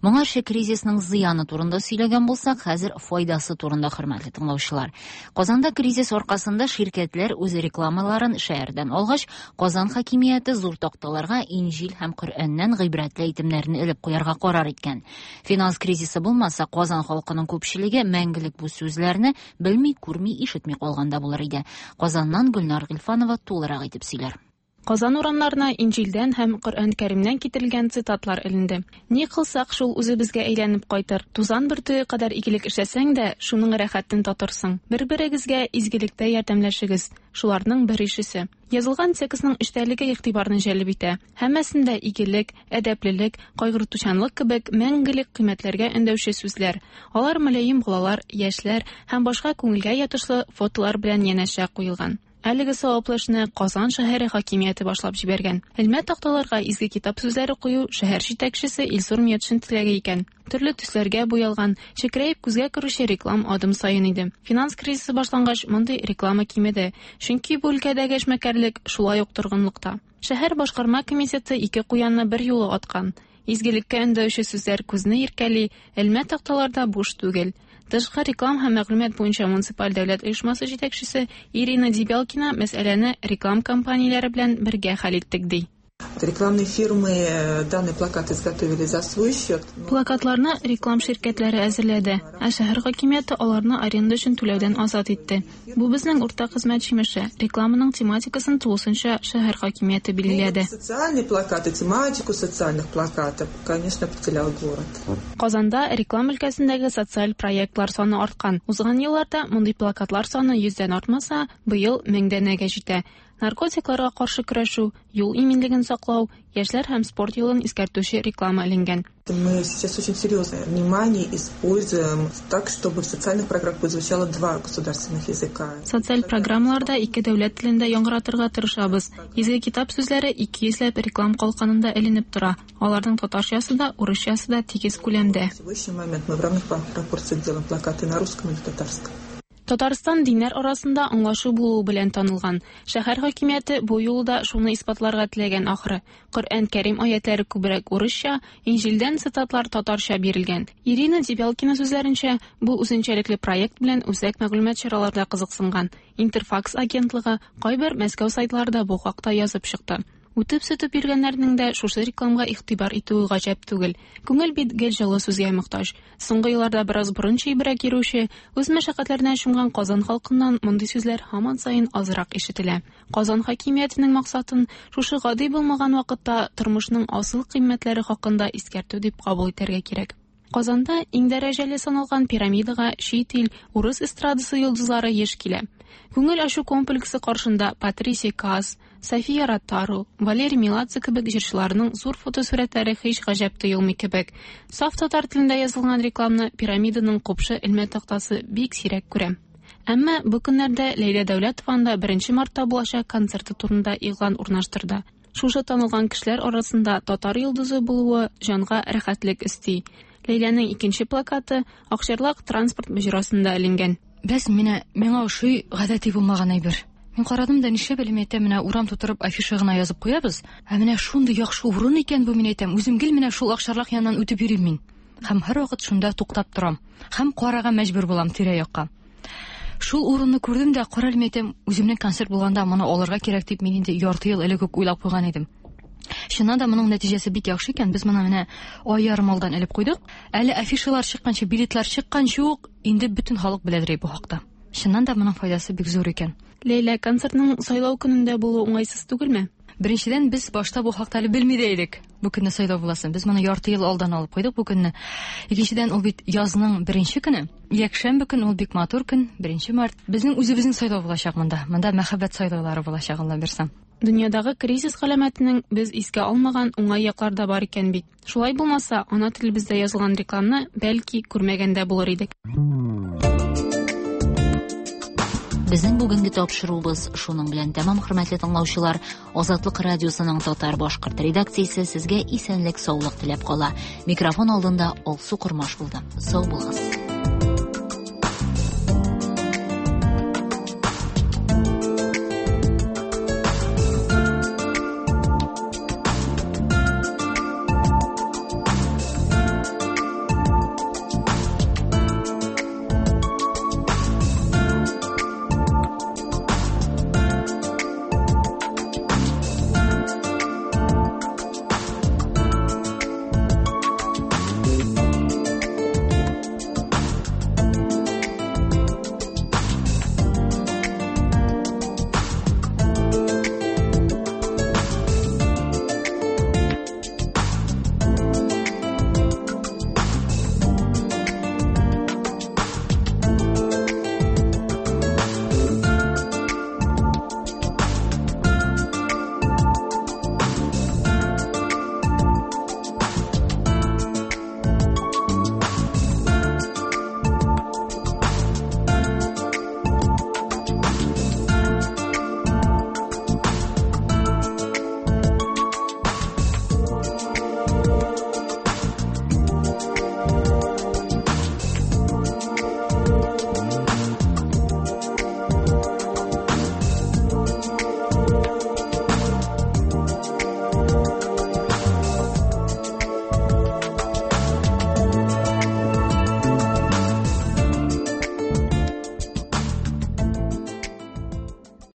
Моңарчы кризисның зыяны турында сөйләгән булсак, хәзер файдасы турында, хөрмәтле тыңлаучылар. Казанда кризис аркасында ширкәтләр үз рекламаларын шәһәрдән алгач, Казан хакимияте зур такталарга Инҗил һәм Коръәннән гыйбрәтле әйтемнәрне элеп куярга карар иткән. Финанс кризисы булмаса, Казан халкының күпчелеге мәңгелек бу сүзләрне белми, күрми, ишетми калганда булыр иде. Казаннан Гөлнар Гыйльфанова тулырак итеп сөйләр. Казан урамнарына Инҗилдән һәм Коръән Кәримнән китерелгән цитатлар эленде. Ни кылсак, шул үзебезгә әйләнеп кайтыр. Тузан бөртеге кадәр игелек эшләсәң дә, шуның рәхәтен татырсың. Бер-берегезгә изгелектә ярдәмләшегез. Шуларның бер ишесе. Язылган текстның эчтәлеге игътибарны җәлеп итә. Һәммәсендә игелек, әдәплелек, кайгыртучанлык кебек мәңгелек кыйммәтләргә өндәүче сүзләр. Алар мөлаем балалар, яшьләр һәм башка күңелгә ятышлы фотолар белән янәшә куелган. Әлеге саваплы эшне Казан шәһәре хакимияте башлап җибәргән. Элмә такталарга изге китап сүзләре кую шәһәр җитәкчесе Илсур Метшин теләге икән. Төрле төсләргә буялган, чекрәеп күзгә керүче реклам адым саен иде. Финанс кризисы башлангач, мондый реклама кимеде, чөнки бу өлкәдәге эшмәкәрлек шулай ук торгынлыкта. Шәһәр башкарма комитеты ике куянны бер юлы аткан. Изгелеккә өндәүче сүзләр күзне иркәли, элмә такталарда буш түгел. Тышкы реклам һәм мәгълүмат буенча муниципаль дәүләт оешмасы җитәкчесе Ирина Дебялкина мәсьәләне реклам компанияләре белән бергә хәл иттек ди. Рекламные фирмы данный плакат изготовили за свой счет. Плакатларны реклам ширкәтләре әзерләде, ә шәһәр хакимияте аларны аренда өчен түләүдән азат итте. Бу безнең уртак хезмәт җимеше. Рекламаның тематикасын тулысынча шәһәр хакимияте билгеләде. Социальные плакаты, тематику социальных плакатов, конечно, определял город. Казанда реклам өлкәсендәге социаль проектлар саны арткан. Узган елларда мондый плакатлар саны йөздән артмаса, быел меңдәнәгә җитә. Наркотикларга каршы көрәшү, юл иминлеген саклау, яшьләр һәм спорт юлын искәртүче реклама эленгән. Мы сейчас очень серьезное внимание используем так, чтобы в социальных программах звучало два государственных языка. Социаль программаларда ике дәүләт телендә яңгыратырга тырышабыз. Изге китап сүзләре ике йөзләп реклам калканында эленеп тора. Аларның татарчасы да, урысчасы да тигез күләмдә. В сегодняшний момент мы в равных пропорциях делаем плакаты на русском и на татарском. Татарстан диннәр арасында аңлашу булуы белән танылган. Шәһәр хакимияте бу юлы да шуны исбатларга теләгән ахры. Коръән Кәрим аятлары күбрәк урысча, Инҗилдән цитатлар татарча бирелгән. Ирина Дебялкина сүзләренчә, бу үзенчәлекле проект белән үзәк мәгълүмат чараларда кызыксынган. Интерфакс агентлыгы кайбер Мәскәү сайтларында бу хакта язып чыкты. Үтеп-сүтеп йөргәннәрнең дә шушы рекламга игътибар итүе гаҗәп түгел. Күңел бит гел җылы сүзгә мохтаҗ. Соңгы елларда бераз борын чөйбрәк йөрүче, үз мәшәкатьләренә чумган Казан халкыннан мондый сүзләр һаман саен азрак ишетелә. Казан хакимиятенең максатын шушы гади булмаган вакытта тормышның асыл кыйммәтләре хакында искәртү дип кабул итәргә кирәк. Казанда иң дәрәҗәле саналган пирамидага чит ил, урыс эстрадасы йолдызлары еш килә. Күңел ачу комплексы каршында Патрисия Каас, София Ротару, Валерий Меладзе кебек җырчыларның зур фотосурәтләре һич гаҗәп тоелмый кебек. Саф татар телендә язылган рекламны пирамиданың купшы элмә тактасы бик сирәк күрә. Әмма бу көннәрдә Ләйлә Дәүләтова анда беренче мартта булачак концерты турында игълан урнаштырды. Шушы танылган кешеләр арасында татар йолдызы булуы җанга рәхәтлек өсти. Ләйләнең икенче плакаты Акчарлак транспорт боҗрасында эленгән. Бәс менә миңа ошый гадәти булмаган әйбер. Мин карадым да нишләп әле әйтәм, менә урам тутырып афиша гына язып куябыз. Ә менә шундый яхшы урын икән бу, мин әйтәм. Үзем гел менә шул Акчарлак яныннан үтеп йөрим мин. Һәм һәрвакыт шунда туктап торам. Һәм карарга мәҗбүр булам тирә-якка. Шул урынны күрдем дә, карале әйтәм, үземнең концерт булганда моны алырга кирәк дип мин инде ярты ел элек үк уйлап куйган идем. Чыннан да моның нәтиҗәсе бик яхшы икән. Без моны менә ай ярым алдан элеп куйдык. Әле афишалар чыкканчы, билетлар чыкканчы ук инде бөтен халык беләдер бу хакта. Чыннан да моның файдасы бик зур икән. Ләйлә, концертның сайлау көнендә булуы уңайсыз түгелме? Беренчедән, без башта бу хакта әле белми дә идек. Бу көнне сайлау буласын. Без моны ярты ел алдан алып куйдык бу көнне. Икенчедән, ул бит язның беренче көне. Якшәмбе көн, ул бик матур көн, беренче март. Безнең үзебезнең сайлау булачак монда. Монда мәхәббәт сайлаулары булачак, Алла бирсә. Дөньядагы кризис галәмәтенең без искә алмаган уңай яклар да бар икән бит. Шулай булмаса, ана телебездә язылган рекламны бәлки күрмәгәндә булыр идек. Безнең бүгенге тапшыруыбыз шуның белән тәмам, хөрмәтле тыңлаучылар. Азатлык радиосының татар-башкорт редакциясе сезгә исәнлек, саулык теләп кала. Микрофон алдында Алсу Кормаш булды. Сау булыгыз.